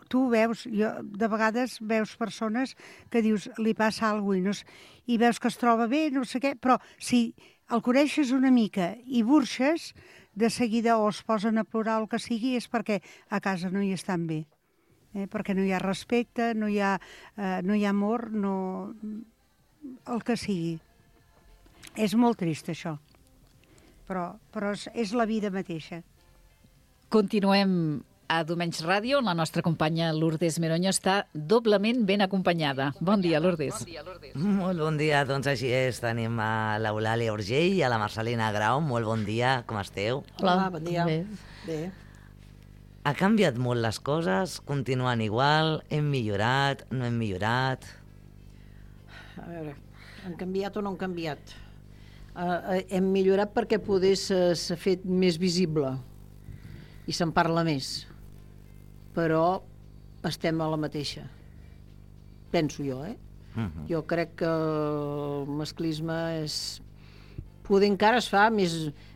K: tu veus, jo, de vegades veus persones que dius li passa alguna cosa i, no, i veus que es troba bé, no sé què, però si el coneixes una mica i burxes, de seguida o es posen a plorar o el que sigui, és perquè a casa no hi estan bé, eh, perquè no hi ha respecte, no hi ha, eh, no hi ha amor, no... el que sigui. És molt trist, això. Però, però és, és la vida mateixa.
C: Continuem a Domenys Ràdio, on la nostra companya Lourdes Meronyo està doblement ben acompanyada. Bon dia, Lourdes. Bon dia, Lourdes.
L: Molt bon dia, doncs així és. Tenim a l'Eulàlia Urgell i a la Marcelina Grau. Molt bon dia, com esteu?
M: Hola, bon dia.
L: Bé.
M: Bé.
L: Ha canviat molt les coses? Continuen igual? Hem millorat? No hem millorat?
M: A veure, han canviat o no han canviat? Uh, hem millorat perquè poder s'ha fet més visible i se'n parla més, però estem a la mateixa, penso jo, eh? Uh-huh. Jo crec que el masclisme és... poder encara es fa més,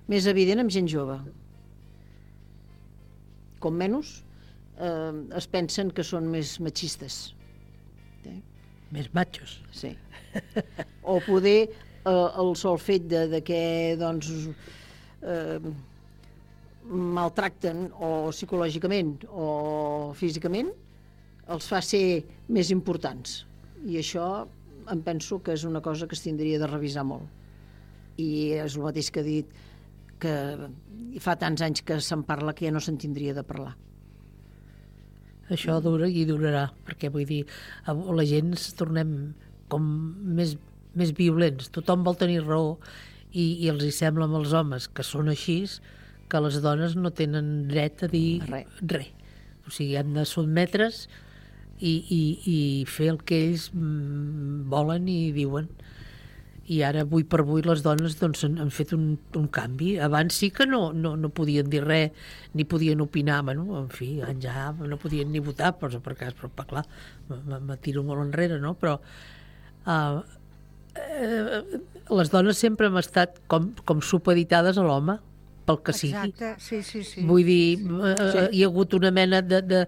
M: més evident amb gent jove. Com menys eh, es pensen que són més machistes. Eh?
N: Més machos.
M: Sí. O poder eh, el sol fet de, de que doncs, eh, maltracten o psicològicament o físicament els fa ser més importants. I això em penso que és una cosa que es tindria de revisar molt. I és el mateix que he dit, que fa tants anys que se'n parla que ja no se'n tindria de parlar.
N: Això dura i durarà, perquè vull dir, la gent ens tornem com més, més violents. Tothom vol tenir raó i, i els hi sembla amb els homes que són així, que les dones no tenen dret a dir res. Re. O sigui, han de sotmetre's i, i, i fer el que ells mm, volen i diuen. I ara, avui per avui, les dones doncs, han, han fet un, un canvi. Abans sí que no, no, no podien dir res, ni podien opinar, bueno, en fi, ja no podien ni votar, però per cas, però clar, me tiro molt enrere, no? Però uh, eh, les dones sempre hem estat com, com supeditades a l'home, pel que sigui.
K: Exacte, sí, sí, sí.
N: Vull dir, uh, sí. Hi ha hagut una mena de... de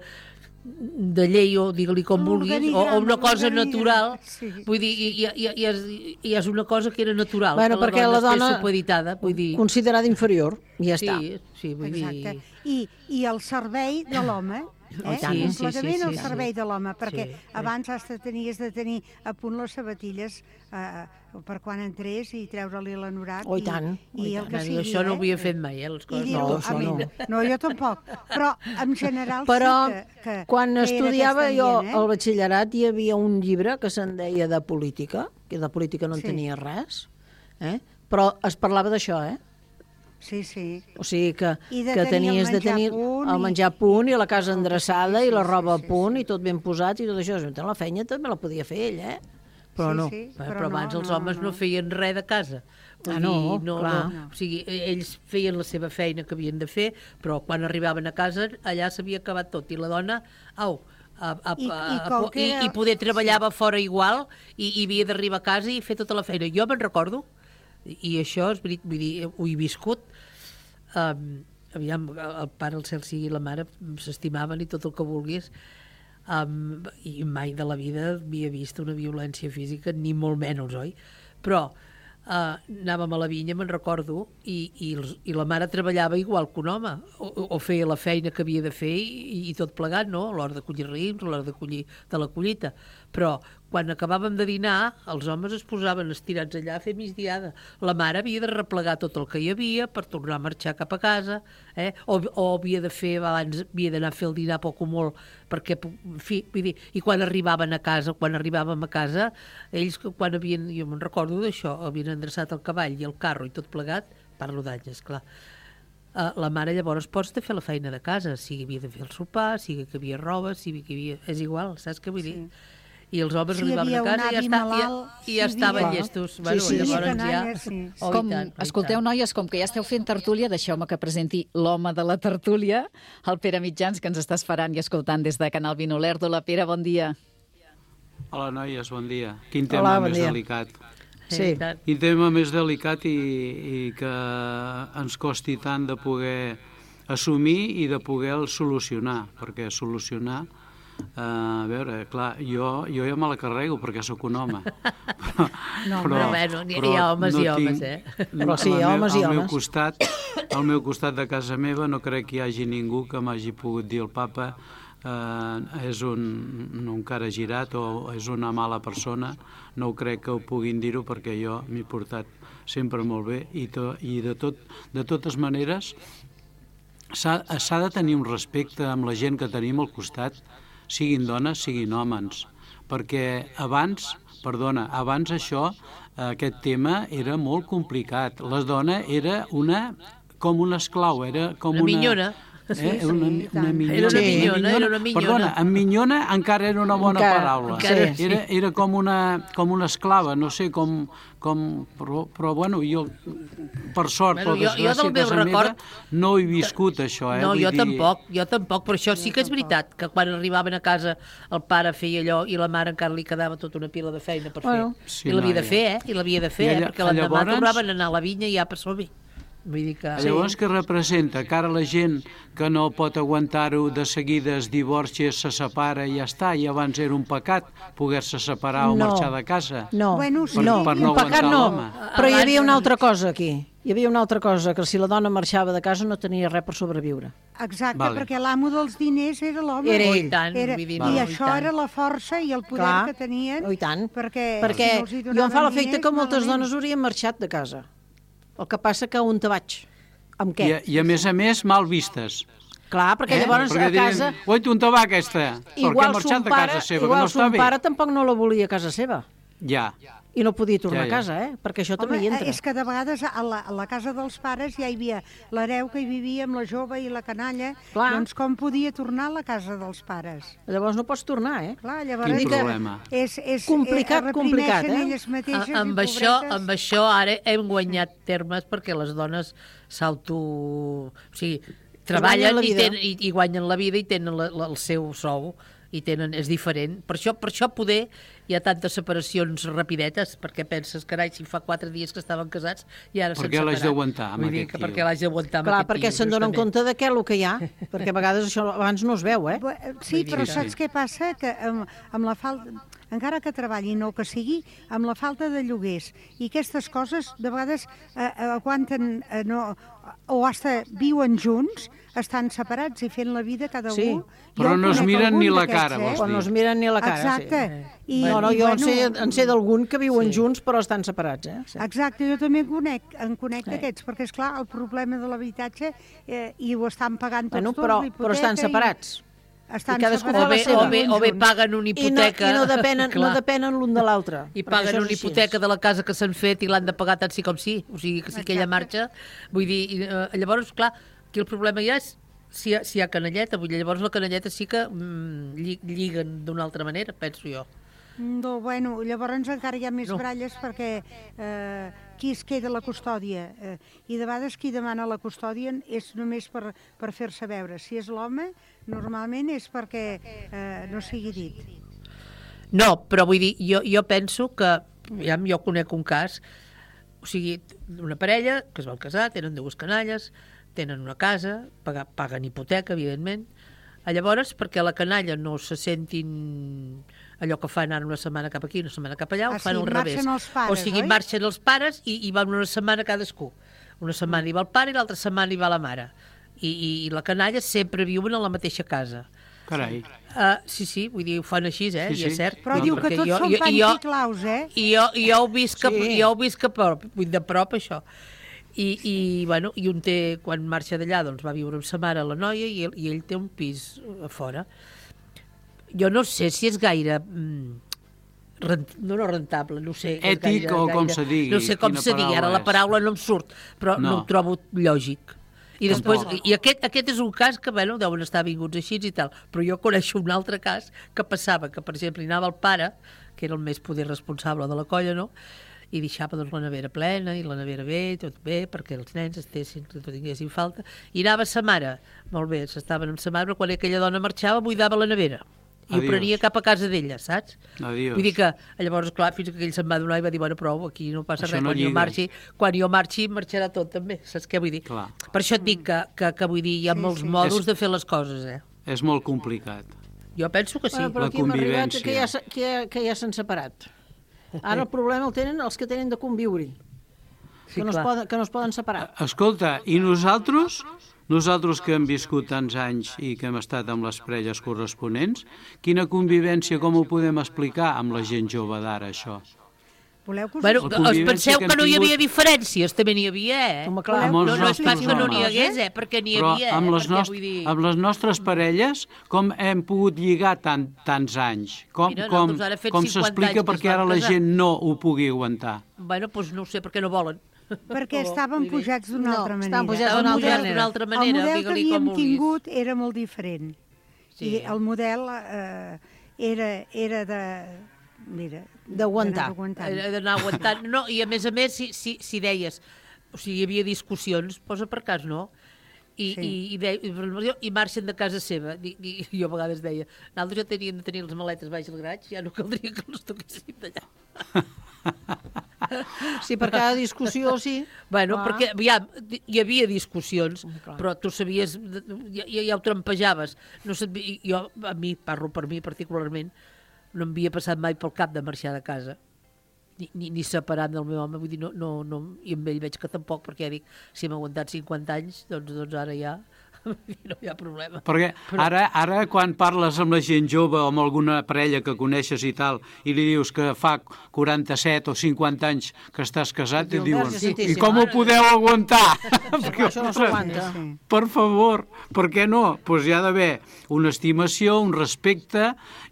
N: de llei o digue-li com vulguis, o, o una cosa natural, sí. Vull dir, i, i, i, i, és, i és una cosa que era natural,
M: bueno,
N: que
M: perquè la dona,
N: la dona vull dir...
M: considerada inferior, i ja
N: sí,
M: està.
N: Sí, vull
K: exacte.
N: dir...
K: I, I el servei de l'home, eh?
N: Oh, sí,
K: completament
N: sí, sí, sí,
K: el servei
N: sí.
K: de l'home, perquè
N: sí, sí.
K: abans has de tenir, has de tenir a punt les sabatilles eh, per quan entrés i treure-li l'anorac.
M: Oh, i tant.
K: I, i el que sigui,
N: això no ho
K: eh?
N: havia fet mai, eh, les coses.
K: Dir,
M: no, això no.
K: no, jo tampoc. Però, en general,
M: Però,
K: sí que, que
M: quan
K: que
M: estudiava jo
K: ambient, eh?
M: al batxillerat hi havia un llibre que se'n deia de política, que de política no en
K: sí.
M: tenia res, eh? Però es parlava d'això, eh?
K: Sí, sí.
M: O sigui que,
K: que
M: tenies de tenir el menjar a punt i la casa endreçada
K: sí, sí,
M: i la roba
K: sí, sí,
M: a punt
K: sí.
M: i tot ben posat i tot això. La feina també la podia fer ell, eh? Però
K: sí,
M: no.
K: Sí,
N: però,
K: però
N: abans
K: no,
N: els
K: no,
N: homes no,
K: no.
N: no feien res de casa.
M: Ah, no,
N: no,
M: clar.
N: No. O sigui, ells feien la seva feina que havien de fer, però quan arribaven a casa allà s'havia acabat tot. I la dona, au, a, a,
K: I,
N: a,
K: i,
N: a, i,
K: era...
N: i poder treballava sí. fora igual i, i havia d'arribar a casa i fer tota la feina. Jo me'n recordo, i això és veritat, vull dir, ho he viscut, um, aviam, el pare, el cel sigui la mare, s'estimaven i tot el que vulguis. um, i mai de la vida havia vist una violència física, ni molt menys, oi? Però Uh, anàvem a la vinya, me'n recordo, i, i, els, i la mare treballava igual que un home, o, o feia la feina que havia de fer i, i tot plegat, no? A l'hora de collir raïms, a l'hora de collir de la collita. Però quan acabàvem de dinar, els homes es posaven estirats allà a fer migdiada. La mare havia de replegar tot el que hi havia per tornar a marxar cap a casa, eh? o, o havia de fer, abans havia d'anar a fer el dinar poc o molt, perquè, en fi, vull dir, i quan arribaven a casa, quan arribàvem a casa, ells, quan havien, jo me'n recordo d'això, havien endreçat el cavall i el carro i tot plegat, parlo d'anys, esclar, uh, la mare llavors pots de fer la feina de casa, sigui havia de fer el sopar, sigui que havia roba, sigui que havia... És igual, saps què vull dir? Sí. I els homes
K: si
N: arribaven a casa i ja, està,
K: malalt,
N: ja, i ja
K: si
N: estaven
K: havia...
N: llestos.
K: Sí,
N: bueno,
K: sí,
N: llavors
K: sí,
N: ja...
K: sí.
N: Oh,
C: Com,
N: tant,
C: escolteu, noies, com que ja esteu fent tertúlia, deixeu-me que presenti l'home de la tertúlia, el Pere Mitjans, que ens està esperant i escoltant des de Canal Vino Lerdo. La Pere, bon dia.
O: Hola, noies, bon dia. Quin tema
M: Hola, bon
O: més
M: dia.
O: delicat.
M: Sí.
O: Quin tema més delicat i, i que ens costi tant de poder assumir i de poder solucionar, perquè solucionar, eh, a veure, clar, jo, jo ja me la carrego perquè sóc un home. Però,
N: no, però, bueno, hi, hi ha homes no i homes, tinc, eh?
M: Però sí, hi ha homes i
O: al
M: homes.
O: Meu costat, al meu costat de casa meva no crec que hi hagi ningú que m'hagi pogut dir el papa eh, és un, un cara girat o és una mala persona. No ho crec que ho puguin dir-ho perquè jo m'he portat sempre molt bé i, to, i de, tot, de totes maneres s'ha de tenir un respecte amb la gent que tenim al costat, siguin dones, siguin homes, perquè abans, perdona, abans això, aquest tema era molt complicat. La dona era una, com una esclau, era com una...
N: Una minyona.
O: Eh? Una, una minyona.
N: Era una minyona, era una minyona.
O: Perdona, en minyona encara era una bona
M: encara,
O: paraula.
M: Encara, sí.
O: Era, era com, una, com una esclava, no sé com... com però, però, bueno, jo, per sort,
N: bueno,
O: per
N: jo,
O: desgràcia,
N: jo
O: a casa
N: record...
O: meva, no he viscut això. Eh?
N: No,
O: Vull
N: jo
O: dir...
N: tampoc, jo tampoc, però això sí que és veritat, que quan arribaven a casa el pare feia allò i la mare encara li quedava tota una pila de feina per
M: bueno,
N: fer.
O: sí,
N: I l'havia
O: no,
N: de fer, eh? I l'havia de fer,
O: allà,
N: eh? Perquè l'endemà
O: llavors...
N: tornaven a anar a la vinya i ja per som-hi. Vull dir que...
O: Llavors, què representa? Que ara la gent que no pot aguantar-ho de seguida es divorcia, se separa i ja està, i abans era un pecat poder-se separar o
M: no,
O: marxar de casa.
M: No,
K: bueno, sí.
O: per,
M: no,
O: per no
M: un pecat
O: aguantar
M: no,
O: l'home.
M: però hi havia una altra cosa aquí. Hi havia una altra cosa, que si la dona marxava de casa no tenia res per sobreviure.
K: Exacte,
O: Vale.
K: perquè l'amo dels diners era l'home.
M: Era
N: Oh,
M: ell.
N: i tant,
K: Era,
N: vull dir,
K: I
N: no, i
K: això
N: tant.
K: era la força i el poder
M: Clar.
K: que tenien.
M: Oh, i tant.
K: Perquè,
M: Perquè
K: si no els hi
M: jo em fa
K: donaven
M: l'efecte
K: diners,
M: que moltes
K: malament.
M: dones haurien marxat de casa. El que passa que on te vaig? Amb què?
O: I, I a més a més, mal vistes.
M: Clar, perquè eh? llavors
O: perquè
M: a casa...
O: Diuen, oi, on te va aquesta? Perquè ha
M: Igual
O: marxat
M: son
O: de
M: pare,
O: casa seva, que
M: igual
O: no està
M: son
O: bé.
M: pare tampoc no la volia a casa seva.
O: Ja.
M: I no podia tornar
O: Ja, ja.
M: a casa, eh? Perquè això
K: Home,
M: també hi entra.
K: és que de vegades a la, a la casa dels pares ja hi havia l'hereu que hi vivia amb la jove i la canalla.
M: Clar.
K: Doncs com podia tornar a la casa dels pares?
M: Llavors no pots tornar, eh?
K: Clar, llavors
O: Quin
K: és-
O: problema.
K: És, és,
M: Complicat,
K: eh,
M: complicat,
K: reprimeixen
M: eh?
K: elles mateixes
N: A, amb,
K: i
N: això,
K: pobretes.
N: amb això ara hem guanyat termes perquè les dones s'auto... O sigui, treballen
M: guanyen la
N: i,
M: vida.
N: ten, i, i guanyen la vida i tenen la, la, el seu sou i tenen, és diferent. Per això, per això poder hi ha tantes separacions rapidetes, perquè penses, carai, si fa quatre dies que estaven casats i ara s'han
O: Per què
N: separat.
O: l'has d'aguantar amb
N: Vull dir
O: aquest
N: que
O: tio?
N: perquè l'has d'aguantar amb
M: Clar,
N: aquest
M: perquè
N: tio,
M: se'n donen
N: justament.
M: compte de què el que hi ha, perquè a vegades això abans no es veu, eh?
K: Bu- Sí, però
O: Sí,
K: saps
O: sí.
K: què passa? Que amb, amb la falta, encara que treballin o que sigui, amb la falta de lloguers i aquestes coses, de vegades eh, eh, aguanten, eh, no, o hasta viuen junts, estan separats i fent la vida cada
M: Sí.
K: un.
O: Però
K: Jo
O: no es
K: conec
O: miren
K: algun
O: ni la
K: d'aquests,
O: cara, vols
M: O
O: dir?
M: no es miren ni la cara,
K: Exacte.
M: sí.
K: I,
M: No, no,
K: i,
M: jo en
K: bueno,
M: sé, en sé d'algun que viuen junts però estan separats, eh? Sí.
K: Exacte, jo també en conec, en conec
M: Eh.
K: d'aquests, perquè, és clar el problema de l'habitatge eh, i ho estan pagant tots
M: Bueno,
K: tots,
M: però,
K: l'hipoteca
M: però estan
K: i-
M: separats.
K: Estan
M: I cadascú
K: separats.
N: O bé,
M: la seva.
N: o, bé, o bé
K: Junts.
N: paguen una
M: I no,
N: hipoteca.
M: i no depenen, no
N: Clar.
M: depenen l'un de l'altre.
N: I
M: perquè
N: paguen
M: això
N: una
M: és així.
N: hipoteca de la casa que s'han fet i l'han de pagar tant sí com sí. O sigui, que si aquella marxa... Vull dir, i, eh, llavors, clar, aquí el problema ja és si hi ha, si hi ha canalleta. Vull dir, llavors la canalleta sí que mm, lli- lliguen d'una altra manera, penso jo.
K: No, bueno, llavors encara hi ha més
N: No.
K: bralles perquè eh, qui es queda a la custòdia eh, i de vegades qui demana la custòdia és només per, per fer-se veure. Si és l'home, normalment és perquè eh, no sigui dit.
N: No, però vull dir, jo, jo penso que, ja jo conec un cas, o sigui, una parella que es van casar, tenen dues canalles, tenen una casa, paga, paguen hipoteca, evidentment, Llavors, perquè la canalla no se sentin allò que fan ara una setmana cap aquí, una setmana cap allà,
K: Ah,
N: ho fan
K: sí,
N: al revés.
K: marxen els pares,
N: o sigui,
K: oi?
N: marxen els pares i, i van una setmana cadascú. Una setmana hi va el pare i l'altra setmana hi va la mare. I, i, i la canalla sempre viuen a la mateixa casa.
O: Carai.
N: Uh, sí, sí, vull dir, ho fan així, eh?
O: Sí,
N: I és
O: sí.
N: cert.
K: Però
N: No,
K: diu que
N: perquè
K: tots
N: jo-
K: són
N: jo-
K: panys
N: jo-
K: i claus, eh?
N: I jo, i jo ho visc,
K: Sí.
N: sí. jo ho visc a prop, vull dir, de prop, això. I, i, bueno, i un té, quan marxa d'allà, doncs va viure amb sa mare, la noia, i ell, i ell té un pis a fora. Jo no sé si és gaire... Mm, rent, no, no rentable, no ho sé. és
O: Ètic o com se digui,
N: No sé com
O: quina
N: se digui, ara
O: paraula
N: la
O: és.
N: paraula no em surt, però no,
O: No.
N: no ho trobo lògic. I després,
O: Tampoc.
N: i aquest, aquest és un cas que, bueno, deuen estar vinguts així i tal, però jo coneixo un altre cas que passava, que per exemple hi anava el pare, que era el més poder responsable de la colla, no?, i deixava doncs, la nevera plena, i la nevera bé, tot bé, perquè els nens estessin, que no tinguessin falta, i anava sa mare, molt bé, s'estaven amb sa mare, però quan aquella dona marxava buidava la nevera, i
O: Adiós.
N: ho prenia cap a casa d'ella, saps?
O: Adiós.
N: Vull dir que, llavors, clar, fins que ell se'n va donar i va dir, bueno, prou, aquí no passa
O: Això
N: res,
O: no
N: quan jo
O: lliga.
N: marxi, quan jo marxi, marxarà tot també, saps què vull dir?
O: Clar.
N: Per això et dic que, que, que vull dir, hi ha
K: Sí,
N: molts
K: sí.
N: modos
O: És-
N: de fer les coses, eh?
O: És molt complicat.
N: Jo penso que sí.
M: Bueno, però
O: La
M: aquí hem arribat
O: convivència.
M: que ja, s'ha- que ja, que ja s'han separat. Ara el problema el tenen els que tenen de conviure,
N: Sí,
M: que, no es
N: clar.
M: poden, que no es poden separar.
O: Escolta, i nosaltres, nosaltres que hem viscut tants anys i que hem estat amb les parelles corresponents, quina convivència, com ho podem explicar amb la gent jove d'ara, això?
K: Voleu que us...
N: Bueno,
O: La
N: us
O: convivència
N: penseu
O: que
N: que
O: hem
N: no hi havia
O: tingut-
N: diferències, també n'hi havia, eh?
M: Home, clar.
O: Amb els
N: No, no és pas
O: nostres
N: que no n'hi
O: homes.
N: hagués, eh? Perquè n'hi
O: Però
N: havia,
O: amb
N: eh?
O: les,
N: Perquè,
O: nost
N: vull dir...
O: amb les nostres parelles, com hem pogut lligar tant, tants anys? Com,
N: Mira,
O: com,
N: nosaltres ara fet
O: com
N: cinquanta
O: s'explica
N: anys que
O: perquè
N: es
O: ara
N: van
O: la
N: casar.
O: gent no ho pugui aguantar?
N: Bueno, doncs no ho sé, perquè no volen.
K: Perquè estaven pujats d'una
M: No,
K: altra manera.
M: estaven pujats
N: Estaven
M: d'una altra
N: pujats
M: manera.
N: d'una altra
K: El
N: manera,
K: model que
N: digue-li com
K: havíem
N: vulguis.
K: tingut era molt diferent.
N: Sí.
K: I el model eh, era, era de... Mira,
M: D'aguantar.
K: d'anar aguantant.
N: Era d'anar aguantant. No, i a més a més, si, si, si deies, o sigui, hi havia discussions, posa per cas, no? I,
K: Sí.
N: i, i, de, i, i marxen de casa seva. I, i, jo a vegades deia, nosaltres ja teníem de tenir les maletes baix al graig, ja no caldria que les toquéssim d'allà.
M: Sí, per cada discussió, sí.
N: Bueno,
M: Clar.
N: perquè aviam, hi havia discussions,
M: clar.
N: però tu sabies, ja, ja, ja ho trampejaves. No sé, jo, a mi, parlo per mi particularment, no m'havia passat mai pel cap de marxar de casa, ni, ni, ni separar del meu home, vull dir, no, no, no, i amb ell veig que tampoc, perquè ja dic, si hem aguantat cinquanta anys, doncs, doncs ara ja no hi ha problema.
O: Perquè
N: Però-
O: ara, ara quan parles amb la gent jove o amb alguna parella que coneixes i tal, i li dius que fa quaranta-set o cinquanta anys que estàs casat, i
M: Diu,
O: diuen,
M: Verge
O: i
M: Santíssima,
O: com ho
M: ara-
O: podeu aguantar?
M: Perquè això no s'aguanta.
K: Sí.
O: Per favor, per què no? Doncs hi ha d'haver una estimació, un respecte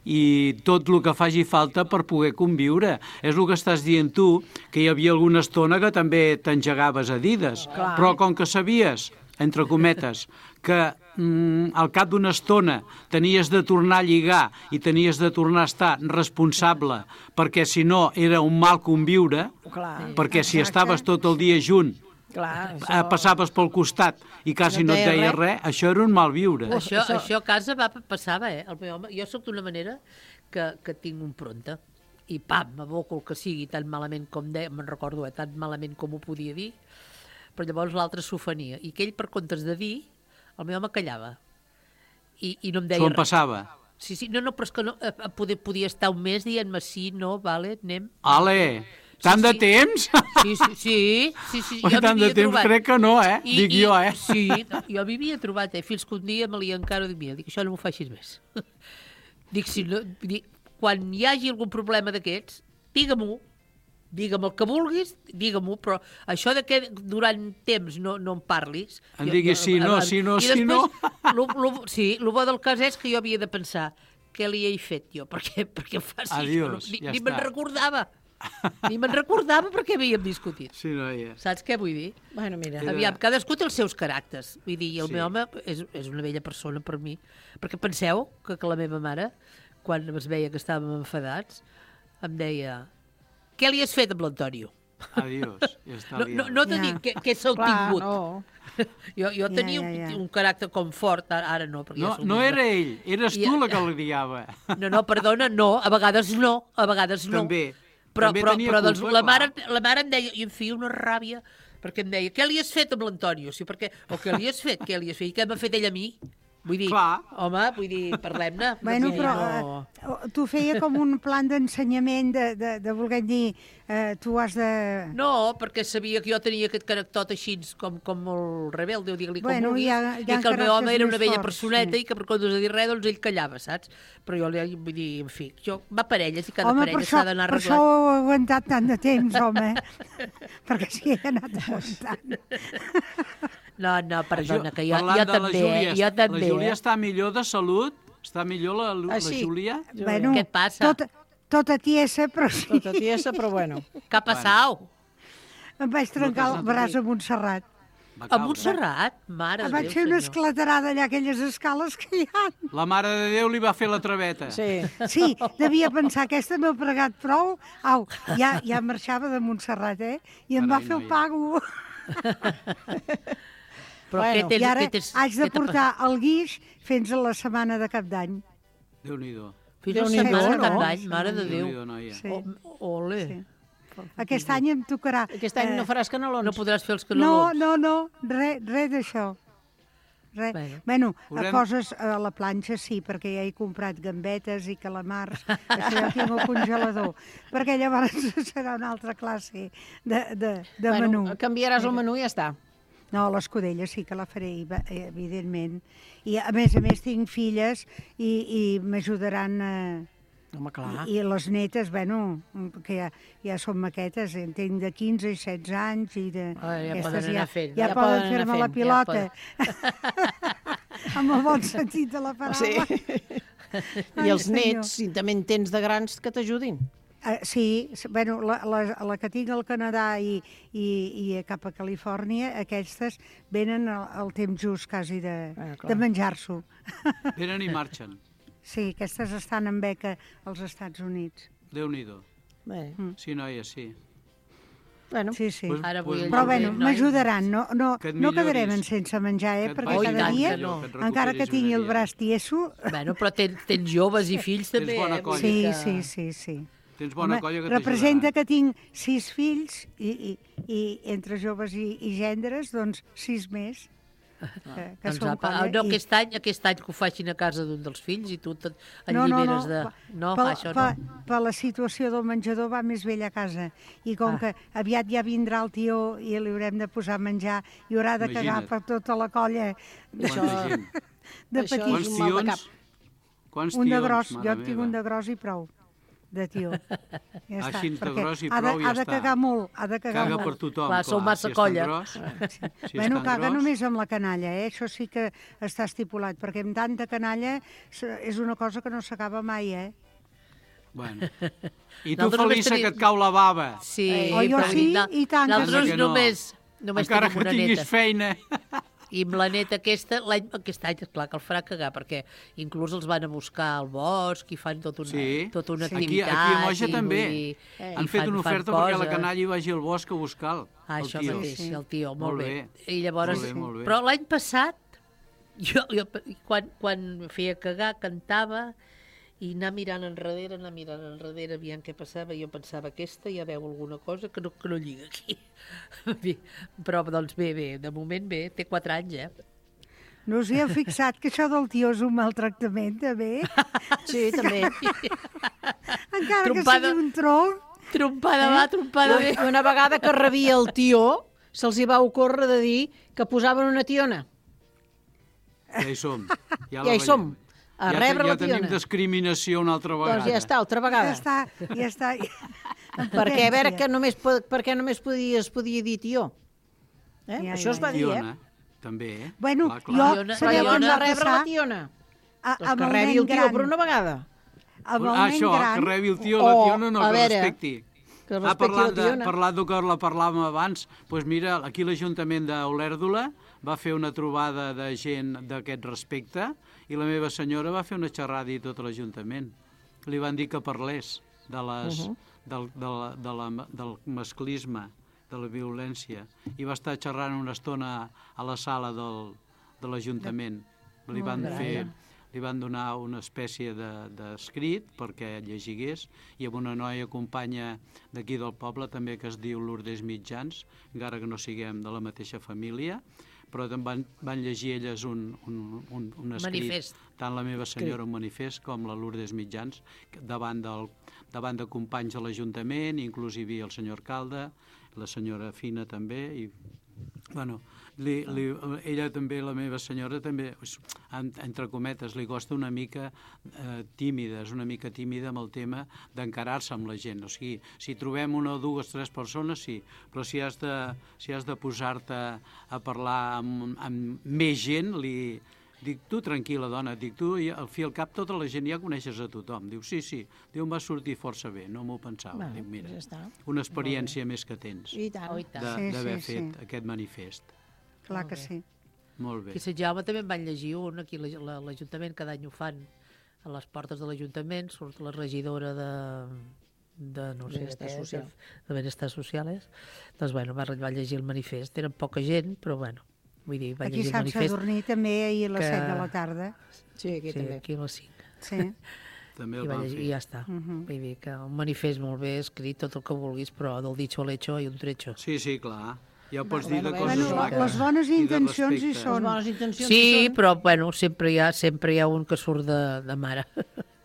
O: i tot el que faci falta per poder conviure. És el que estàs dient tu, que hi havia alguna estona que també t'engegaves a dides,
M: Clar.
O: però com que sabies, entre cometes, que mm, al cap d'una estona tenies de tornar a lligar i tenies de tornar a estar responsable, perquè si no era un mal conviure,
M: Clar.
O: perquè si
K: Exacte.
O: estaves tot el dia junt,
M: Clar,
O: eh, passaves pel costat i quasi
M: No
O: no et
M: deia
O: deia
M: res.
O: res, això era un mal viure.
N: Això, això... això a casa va, passava, eh? El meu home, jo sóc d'una manera que, que tinc un pronta i pam, m'aboco el que sigui tan malament com deia, me'n recordo, eh, tan malament com ho podia dir, però llavors l'altre s'ofenia. I que ell, per comptes de dir, el meu home callava. I, i no em deia
O: S'ho
N: res.
O: passava.
N: Sí, sí, no, no, però és que no, eh, poder, podia estar un mes dient-me sí, no, vale, anem.
O: Ale, tant
N: Sí,
O: de
N: sí.
O: temps?
N: Sí, sí, sí, sí, sí.
O: Oi,
N: jo
O: tant
N: m'hi
O: de
N: havia
O: temps
N: trobat.
O: crec que no, eh? Dic jo, eh?
N: Sí, jo m'hi havia trobat, eh? Fins que un dia me li encaro i dic, mira, dic, això no m'ho facis més. Dic, si no, dic, quan hi hagi algun problema d'aquests, digue-m'ho, digue-me el que vulguis, digue-m'ho, però això de que durant temps no, no em parlis...
O: Em diguis sí, no, sí, no,
N: i
O: sí, no.
N: després, lo, lo, sí, el bo del cas és que jo havia de pensar què li he fet jo, perquè, perquè em faci
O: Adiós,
N: això. Ni,
O: ja
N: ni me'n
O: està.
N: recordava. Ni me'n recordava perquè havíem discutit.
O: Sí, noia.
N: Saps què vull dir?
M: Bueno, mira.
O: Era-
N: Aviam, cadascú té els seus caràcters. Vull dir, i el
O: Sí.
N: meu home és, és una bella persona per mi. Perquè penseu que, que la meva mare, quan es veia que estàvem enfadats, em deia, què li has fet amb l'Antonio?
O: Adiós, ja està
N: No, no, no te
K: Ja.
N: dic que, que s'ha
M: Clar,
N: tingut.
M: no.
N: Jo, jo
K: Ja,
N: tenia
K: ja,
N: un,
K: ja.
N: un caràcter com fort, ara, ara no. Perquè
O: No,
N: ja som
O: no
N: més
O: era
N: grans.
O: ell, eres
N: I-
O: tu la que li diava.
N: No, no, perdona, no, a vegades no, a vegades no.
O: També,
N: Però,
O: també
N: però,
O: tenia
N: però doncs,
O: culpa,
N: la,
O: clar.
N: mare, la mare em deia, i em feia una ràbia, perquè em deia, què li has fet amb l'Antonio? Sí, perquè, o què li has fet, què li has fet? I què m'ha fet ell a mi? Vull dir,
O: Clar.
N: home, vull dir, parlem-ne.
K: Bueno,
N: Vull dir,
K: però
N: no...
K: eh, tu feia com un plan d'ensenyament de, de, de voler dir, eh, tu has de...
N: No, perquè sabia que jo tenia aquest caràcter així com, com molt rebelde, o digue-li com
K: Bueno,
N: vulguis,
K: hi ha- hi ha
N: i que el meu home
K: caràcters
N: era una
K: més
N: vella
K: forts,
N: personeta
K: sí.
N: i que per quan no has de dir res, doncs ell callava, saps? Però jo li vull dir, en fi, jo, va parelles i cada
K: Home, per
N: parella
K: això,
N: s'ha d'anar
K: per això
N: arreglant.
K: ho he aguantat tant de temps, home. Perquè s'hi he anat aguantant.
N: No, no, perdona, que jo,
O: Parlant
N: jo
O: de la
N: també,
O: Júlia,
N: eh? Jo també,
O: La Júlia
N: eh?
O: està millor de salut? Està millor la, la
M: Ah, sí?
O: Júlia?
K: Bueno,
N: Què et passa?
K: Tota, tota tiesa, però sí.
M: Tota tiesa, però bueno.
N: Què ha passat?
K: Em vaig trencar el braç a Montserrat.
N: A Montserrat? Mare
K: Em
N: de
K: vaig
N: Déu,
K: fer una
N: senyor.
K: esclatarada allà, aquelles escales que hi ha.
O: La Mare de Déu li va fer la traveta.
M: Sí.
K: Sí, devia pensar, aquesta no ha pregat prou. Au, ja, ja marxava de Montserrat, eh? I em va
O: Carai,
K: fer el
O: noia.
K: pago.
N: Però
K: bueno,
N: què tens-
K: I ara
N: què tens-
K: haig de
N: què t'ha
K: portar el guix fins a la setmana de cap d'any.
O: Déu-n'hi-do.
N: Fins a la
K: Déu-n'hi-do,
N: setmana de
K: no?
N: cap d'any, mare de Déu.
O: Déu-n'hi-do, noia.
K: Sí.
N: O- Ole.
K: Sí. Aquest any em tocarà...
M: Aquest any no faràs canelons?
N: No podràs fer els
K: No,
N: canelons.
K: no, no, res re d'això. Res.
N: Bueno.
K: Bueno,
O: Haurem-
K: a coses a la planxa sí, perquè ja he comprat gambetes i calamars, això ja ho tinc al congelador, perquè llavors serà una altra classe de, de, de
M: Bueno,
K: menú.
M: canviaràs el menú i ja està.
K: No, l'escudella sí que la faré, ev- evidentment. I a més a més tinc filles i, i m'ajudaran... Eh,
M: Home, clar.
K: I les netes, bueno, que ja, ja són maquetes, en tinc de quinze i setze anys i de...
N: Ah, ja
K: aquestes
N: poden anar fent.
K: Ja,
M: Ja
K: poden
M: poden anar
K: fer-me la
M: fent,
K: pilota.
N: ja
K: Amb el bon sentit de la paraula.
M: Sí.
K: Ai,
M: I els
K: senyor.
M: nets, si també en tens de grans, que t'ajudin.
K: Uh, sí, s- bueno, la, la, la que tinc al Canadà i, i, i cap a Califòrnia, aquestes venen al, al temps just quasi de,
M: Ah, clar.
K: de menjar-s'ho.
O: Venen i marxen.
K: Sí, aquestes estan en beca als Estats Units.
O: Déu-n'hi-do.
M: Bé,
O: Sí, noia, sí.
M: bueno.
K: Sí, sí.
O: Pues-
N: Ara
O: pues
N: vull el
K: Però
O: molt
K: bueno,
O: bé.
N: noi.
K: m'ajudaran, no, no,
O: Que et
K: no quedarem
O: milloris.
K: sense menjar, eh?
O: Que et
K: Perquè
O: vagi
K: cada
N: tant
K: dia,
N: que no.
O: Que et
K: encara que
O: recuperis
K: tingui
O: una
K: el
O: dia.
K: braç tieso...
N: Bueno, però tens, tens joves i fills
O: Tens
N: també,
O: bona
N: eh?
O: colla.
N: Vull dir
K: Sí,
N: que-
K: sí, sí, sí.
O: Tens bona
K: Home,
O: colla que
K: representa
O: t'ajudaran.
K: que tinc sis fills i, i, i entre joves i, i gendres, doncs sis més. Que, que
N: Doncs,
K: són
N: apa,
K: colla.
N: no,
K: I-
N: aquest any, aquest any que ho facin a casa d'un dels fills i tu et et
K: No, no, no,
N: alliberes de...
K: pa-
N: No,
K: per,
N: això
K: per,
N: no.
K: per la situació del menjador va més vell a casa. I com
N: Ah.
K: que aviat ja vindrà el tió i li haurem de posar a menjar i haurà de cagar
O: Imagina't.
K: per tota la colla de,
O: Quanta gent.
K: de
M: Això és
K: petits.
O: Quants
M: un mal de
O: tions? Quants
K: Un de
O: tions,
K: gros,
O: mare
K: jo en tinc
O: meva.
K: un de gros i prou, de tió. Ja
O: Així de
K: perquè
O: gros i
K: ha de,
O: prou, ja
K: ha de
O: està.
K: cagar molt, ha de cagar
O: Caga
K: molt.
O: per tothom,
N: Clar, sou massa
O: si és tan
N: colla.
O: gros, si és
K: bueno,
O: tan
K: caga
O: gros.
K: només amb la canalla, eh? Això sí que està estipulat, perquè amb tanta canalla s- és una cosa que no s'acaba mai, eh?
O: Bueno. I tu,
N: Nosaltres només
O: Felissa,
N: tenim-
O: que et cau la bava.
N: Sí,
K: Oh, jo
N: però
K: sí,
N: no-
K: i tant.
N: Nosaltres
O: Que no.
N: només, només
O: Encara
N: tenim
O: que
N: una
O: tinguis
N: neta.
O: feina.
N: I amb la neta aquesta, l'any aquest any, clar que el farà cagar, perquè inclús els van a buscar al bosc i fan tot una,
O: Sí.
N: tota una
O: Aquí,
N: activitat.
O: aquí a Moixa
N: i,
O: també.
N: vull dir,
O: Han
N: i
O: fet
N: fan-
O: una
N: fan
O: oferta perquè la
N: coses.
O: canalla hi vagi al bosc a buscar-lo.
N: Ah,
O: el
N: això
O: tio.
N: mateix, sí, el tio, molt,
O: Molt
N: bé.
O: bé.
N: I llavors,
O: Molt bé, molt bé.
N: però l'any passat, jo, jo quan, quan feia cagar, cantava, i anar mirant enrere, anar mirant enrere, aviam què passava, jo pensava, aquesta ja veu alguna cosa que no, que no lliga aquí. Bé, però, doncs bé, bé, de moment bé, té quatre anys, eh?
K: No us hi heu fixat que això del tió és un maltractament, també?
M: Sí, també.
K: Encara
N: Trompada.
K: que sigui un tronc.
N: Trompada va, trompada ve.
M: Una, una vegada que rebia el tió, se'ls hi va ocórrer de dir que posaven una tiona.
O: Ja hi som. Ja,
M: Ja
O: la
M: hi
O: veiem.
M: som, a
O: ja,
M: rebre
O: ja
M: la
O: tenim
M: tiona.
O: discriminació una altra vegada.
M: Doncs ja està, altra
K: Ja
M: vegada.
K: està, ja està.
M: Perquè, a veure, que només, po- per què només podia, es podia dir tió? Eh?
K: Ja,
M: Això
K: ja,
M: es va dir,
O: Tiona,
M: eh?
O: també, eh?
K: Bueno,
O: Clar, clar.
K: jo,
N: Tiona-
K: sabeu
N: Tiona-
K: què em
M: Doncs
K: va
M: a rebre la
K: passar?
M: tiona.
K: A,
M: Doncs
K: amb
M: que
K: el
M: rebi
K: nen
M: el tió
K: gran,
M: per una vegada.
K: amb el
O: Ah,
K: nen
O: això,
K: gran,
O: que rebi el tio la
M: O,
O: tiona, no,
M: a
O: que
M: veure,
O: respecti.
M: que
O: Ah,
M: respecti
O: parlant,
M: la
O: de,
M: tiona.
O: parlant del que la parlàvem abans, doncs mira, aquí l'Ajuntament d'Olèrdola va fer una trobada de gent d'aquest respecte i la meva senyora va fer una xerrada i tot l'Ajuntament. Li van dir que parlés de les,
M: Uh-huh.
O: del, de la, de la, del masclisme, de la violència, i va estar xerrant una estona a la sala del, de l'Ajuntament. Li van
M: Molt
O: fer...
M: bé.
O: Li van donar una espècie d'escrit de, perquè llegigués, i amb una noia companya d'aquí del poble també que es diu Lourdes Mitjans, encara que no siguem de la mateixa família, però van, van llegir elles un, un, un, un escrit,
N: Manifest.
O: tant la meva senyora un manifest com la Lourdes Mitjans, davant, del, davant de companys de l'Ajuntament, inclús hi havia el senyor alcalde, la senyora Fina també, i bueno, li, li, ella també, la meva senyora també, entre cometes, li costa una mica eh, tímida, és una mica tímida amb el tema d'encarar-se amb la gent. O sigui, si trobem una o dues, tres persones, sí, però si has de, si has de posar-te a parlar amb, amb més gent, li dic, tu tranquil·la, dona, dic, tu al fi al cap tota la gent ja coneixes a tothom. Diu, sí, sí, diu, em va sortir força bé, no m'ho pensava.
M: Bueno,
O: dic, mira,
M: ja està.
O: una experiència més que tens
M: I tant.
N: Oh, i tant.
O: d'haver
K: Sí, sí,
O: fet
K: sí.
O: aquest manifest.
K: Clar que sí.
O: Molt bé.
N: Aquí a Sant Jaume també en van llegir un, aquí a la- l'Ajuntament, cada any ho fan a les portes de l'Ajuntament, surt la regidora de, de no sé,
M: Benestar
N: de,
M: Social.
N: de Benestar Sociales. Doncs, bueno, va, va llegir el manifest. Eren poca gent, però, bueno, vull dir, va
K: Aquí
N: llegir el
K: Sant
N: manifest.
K: Sadurní també ahir a les
N: que-
K: set de la tarda.
M: Sí, aquí
N: Sí,
M: també.
N: aquí a les cinc.
K: Sí.
O: També
N: I,
O: el
N: va
O: van
N: llegir,
O: fer.
N: i ja està.
K: Mhm.
N: Vull dir que un manifest molt bé escrit, tot el que vulguis, però del dicho al hecho hi ha un trecho.
O: Sí, sí, clar. Ja ho pots
M: Bueno,
O: dir de
M: bueno,
O: coses
K: Bueno,
O: maques
K: les bones
O: i de
K: intencions hi
O: respecte.
K: són.
M: Les bones intencions
N: Sí,
M: hi són.
N: però bueno, sempre hi ha, sempre hi ha un que surt de, de mare.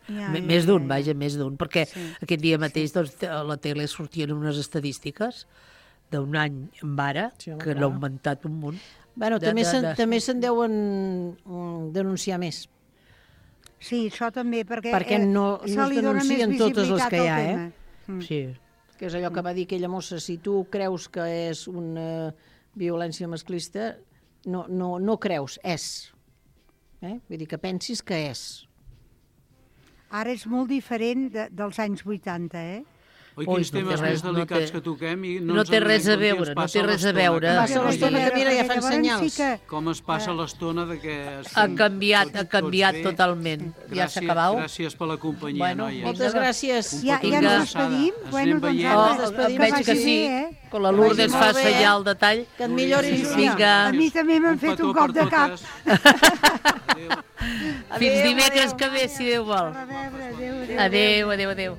K: Ja,
N: M-
K: ja,
N: més
K: ja,
N: d'un,
K: ja.
N: vaja, més d'un, perquè
K: Sí.
N: aquest dia mateix doncs, a la tele sortien unes estadístiques d'un any en ara
M: Sí, home,
N: que
M: clar.
N: l'ha augmentat un munt.
M: Bueno,
N: De-
M: també
N: de-
M: se'n
N: de-
M: també se'n deuen mm, denunciar més.
K: Sí, això també, perquè,
M: Perquè
K: eh,
M: no-
K: se
M: no es
K: li dona més
M: denuncien totes les
K: visibilitat
M: que hi ha,
K: al
M: eh?
K: tema. Mm.
N: Sí.
M: Que és allò que va dir aquella mossa, si tu creus que és una violència masclista, no, no, no creus, és. Eh? Vull dir que pensis que és.
K: Ara és molt diferent de, dels anys vuitanta, eh?
O: Oi,
N: Ui,
O: quins
N: no té
O: temes
N: res-
O: més
N: no
O: delicats
N: té-
O: que toquem i
N: no
O: no ens
N: té res a
O: adonem que
N: veure,
O: ens
N: no
O: passa
N: té res a
O: l'estona.
N: veure.
M: Passa l'estona que mira, ja fan
K: Llavors
M: senyals.
K: sí que-
O: Com es passa l'estona de que...
N: Ha
O: estem
N: canviat,
O: tots-
N: ha canviat
O: tots bé.
N: totalment. Ja s'ha
O: Gràcies-
N: acabat.
O: Gràcies per la companyia,
N: Bueno,
O: noies.
M: Moltes gràcies.
O: Un
K: Ja,
O: petó
K: ja
O: de
K: ens
O: abraçada.
K: despedim?
O: Ens
K: Bueno,
O: anem
K: doncs
O: veient.
K: ara-
N: Oh,
K: Que
M: despedim.
N: veig
K: vagi
N: que sí,
K: bé, eh?
N: que la Lourdes
M: vagi
N: fa
M: molt bé.
N: senyal de tall.
M: Que et milloris,
O: Gràcies.
M: Júlia.
N: Vinga.
K: A mi també m'han
O: Un
K: fet
O: petó
K: un cop
O: per
K: de cap.
O: totes. Adéu.
N: Fins
M: Adéu,
N: dimecres
M: adéu.
N: que ve, si Déu vol.
K: A veure, adéu, adéu.
N: Adéu, adéu, adéu.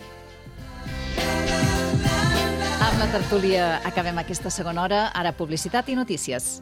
C: Amb la tertúlia acabem aquesta segona hora. Ara publicitat i notícies.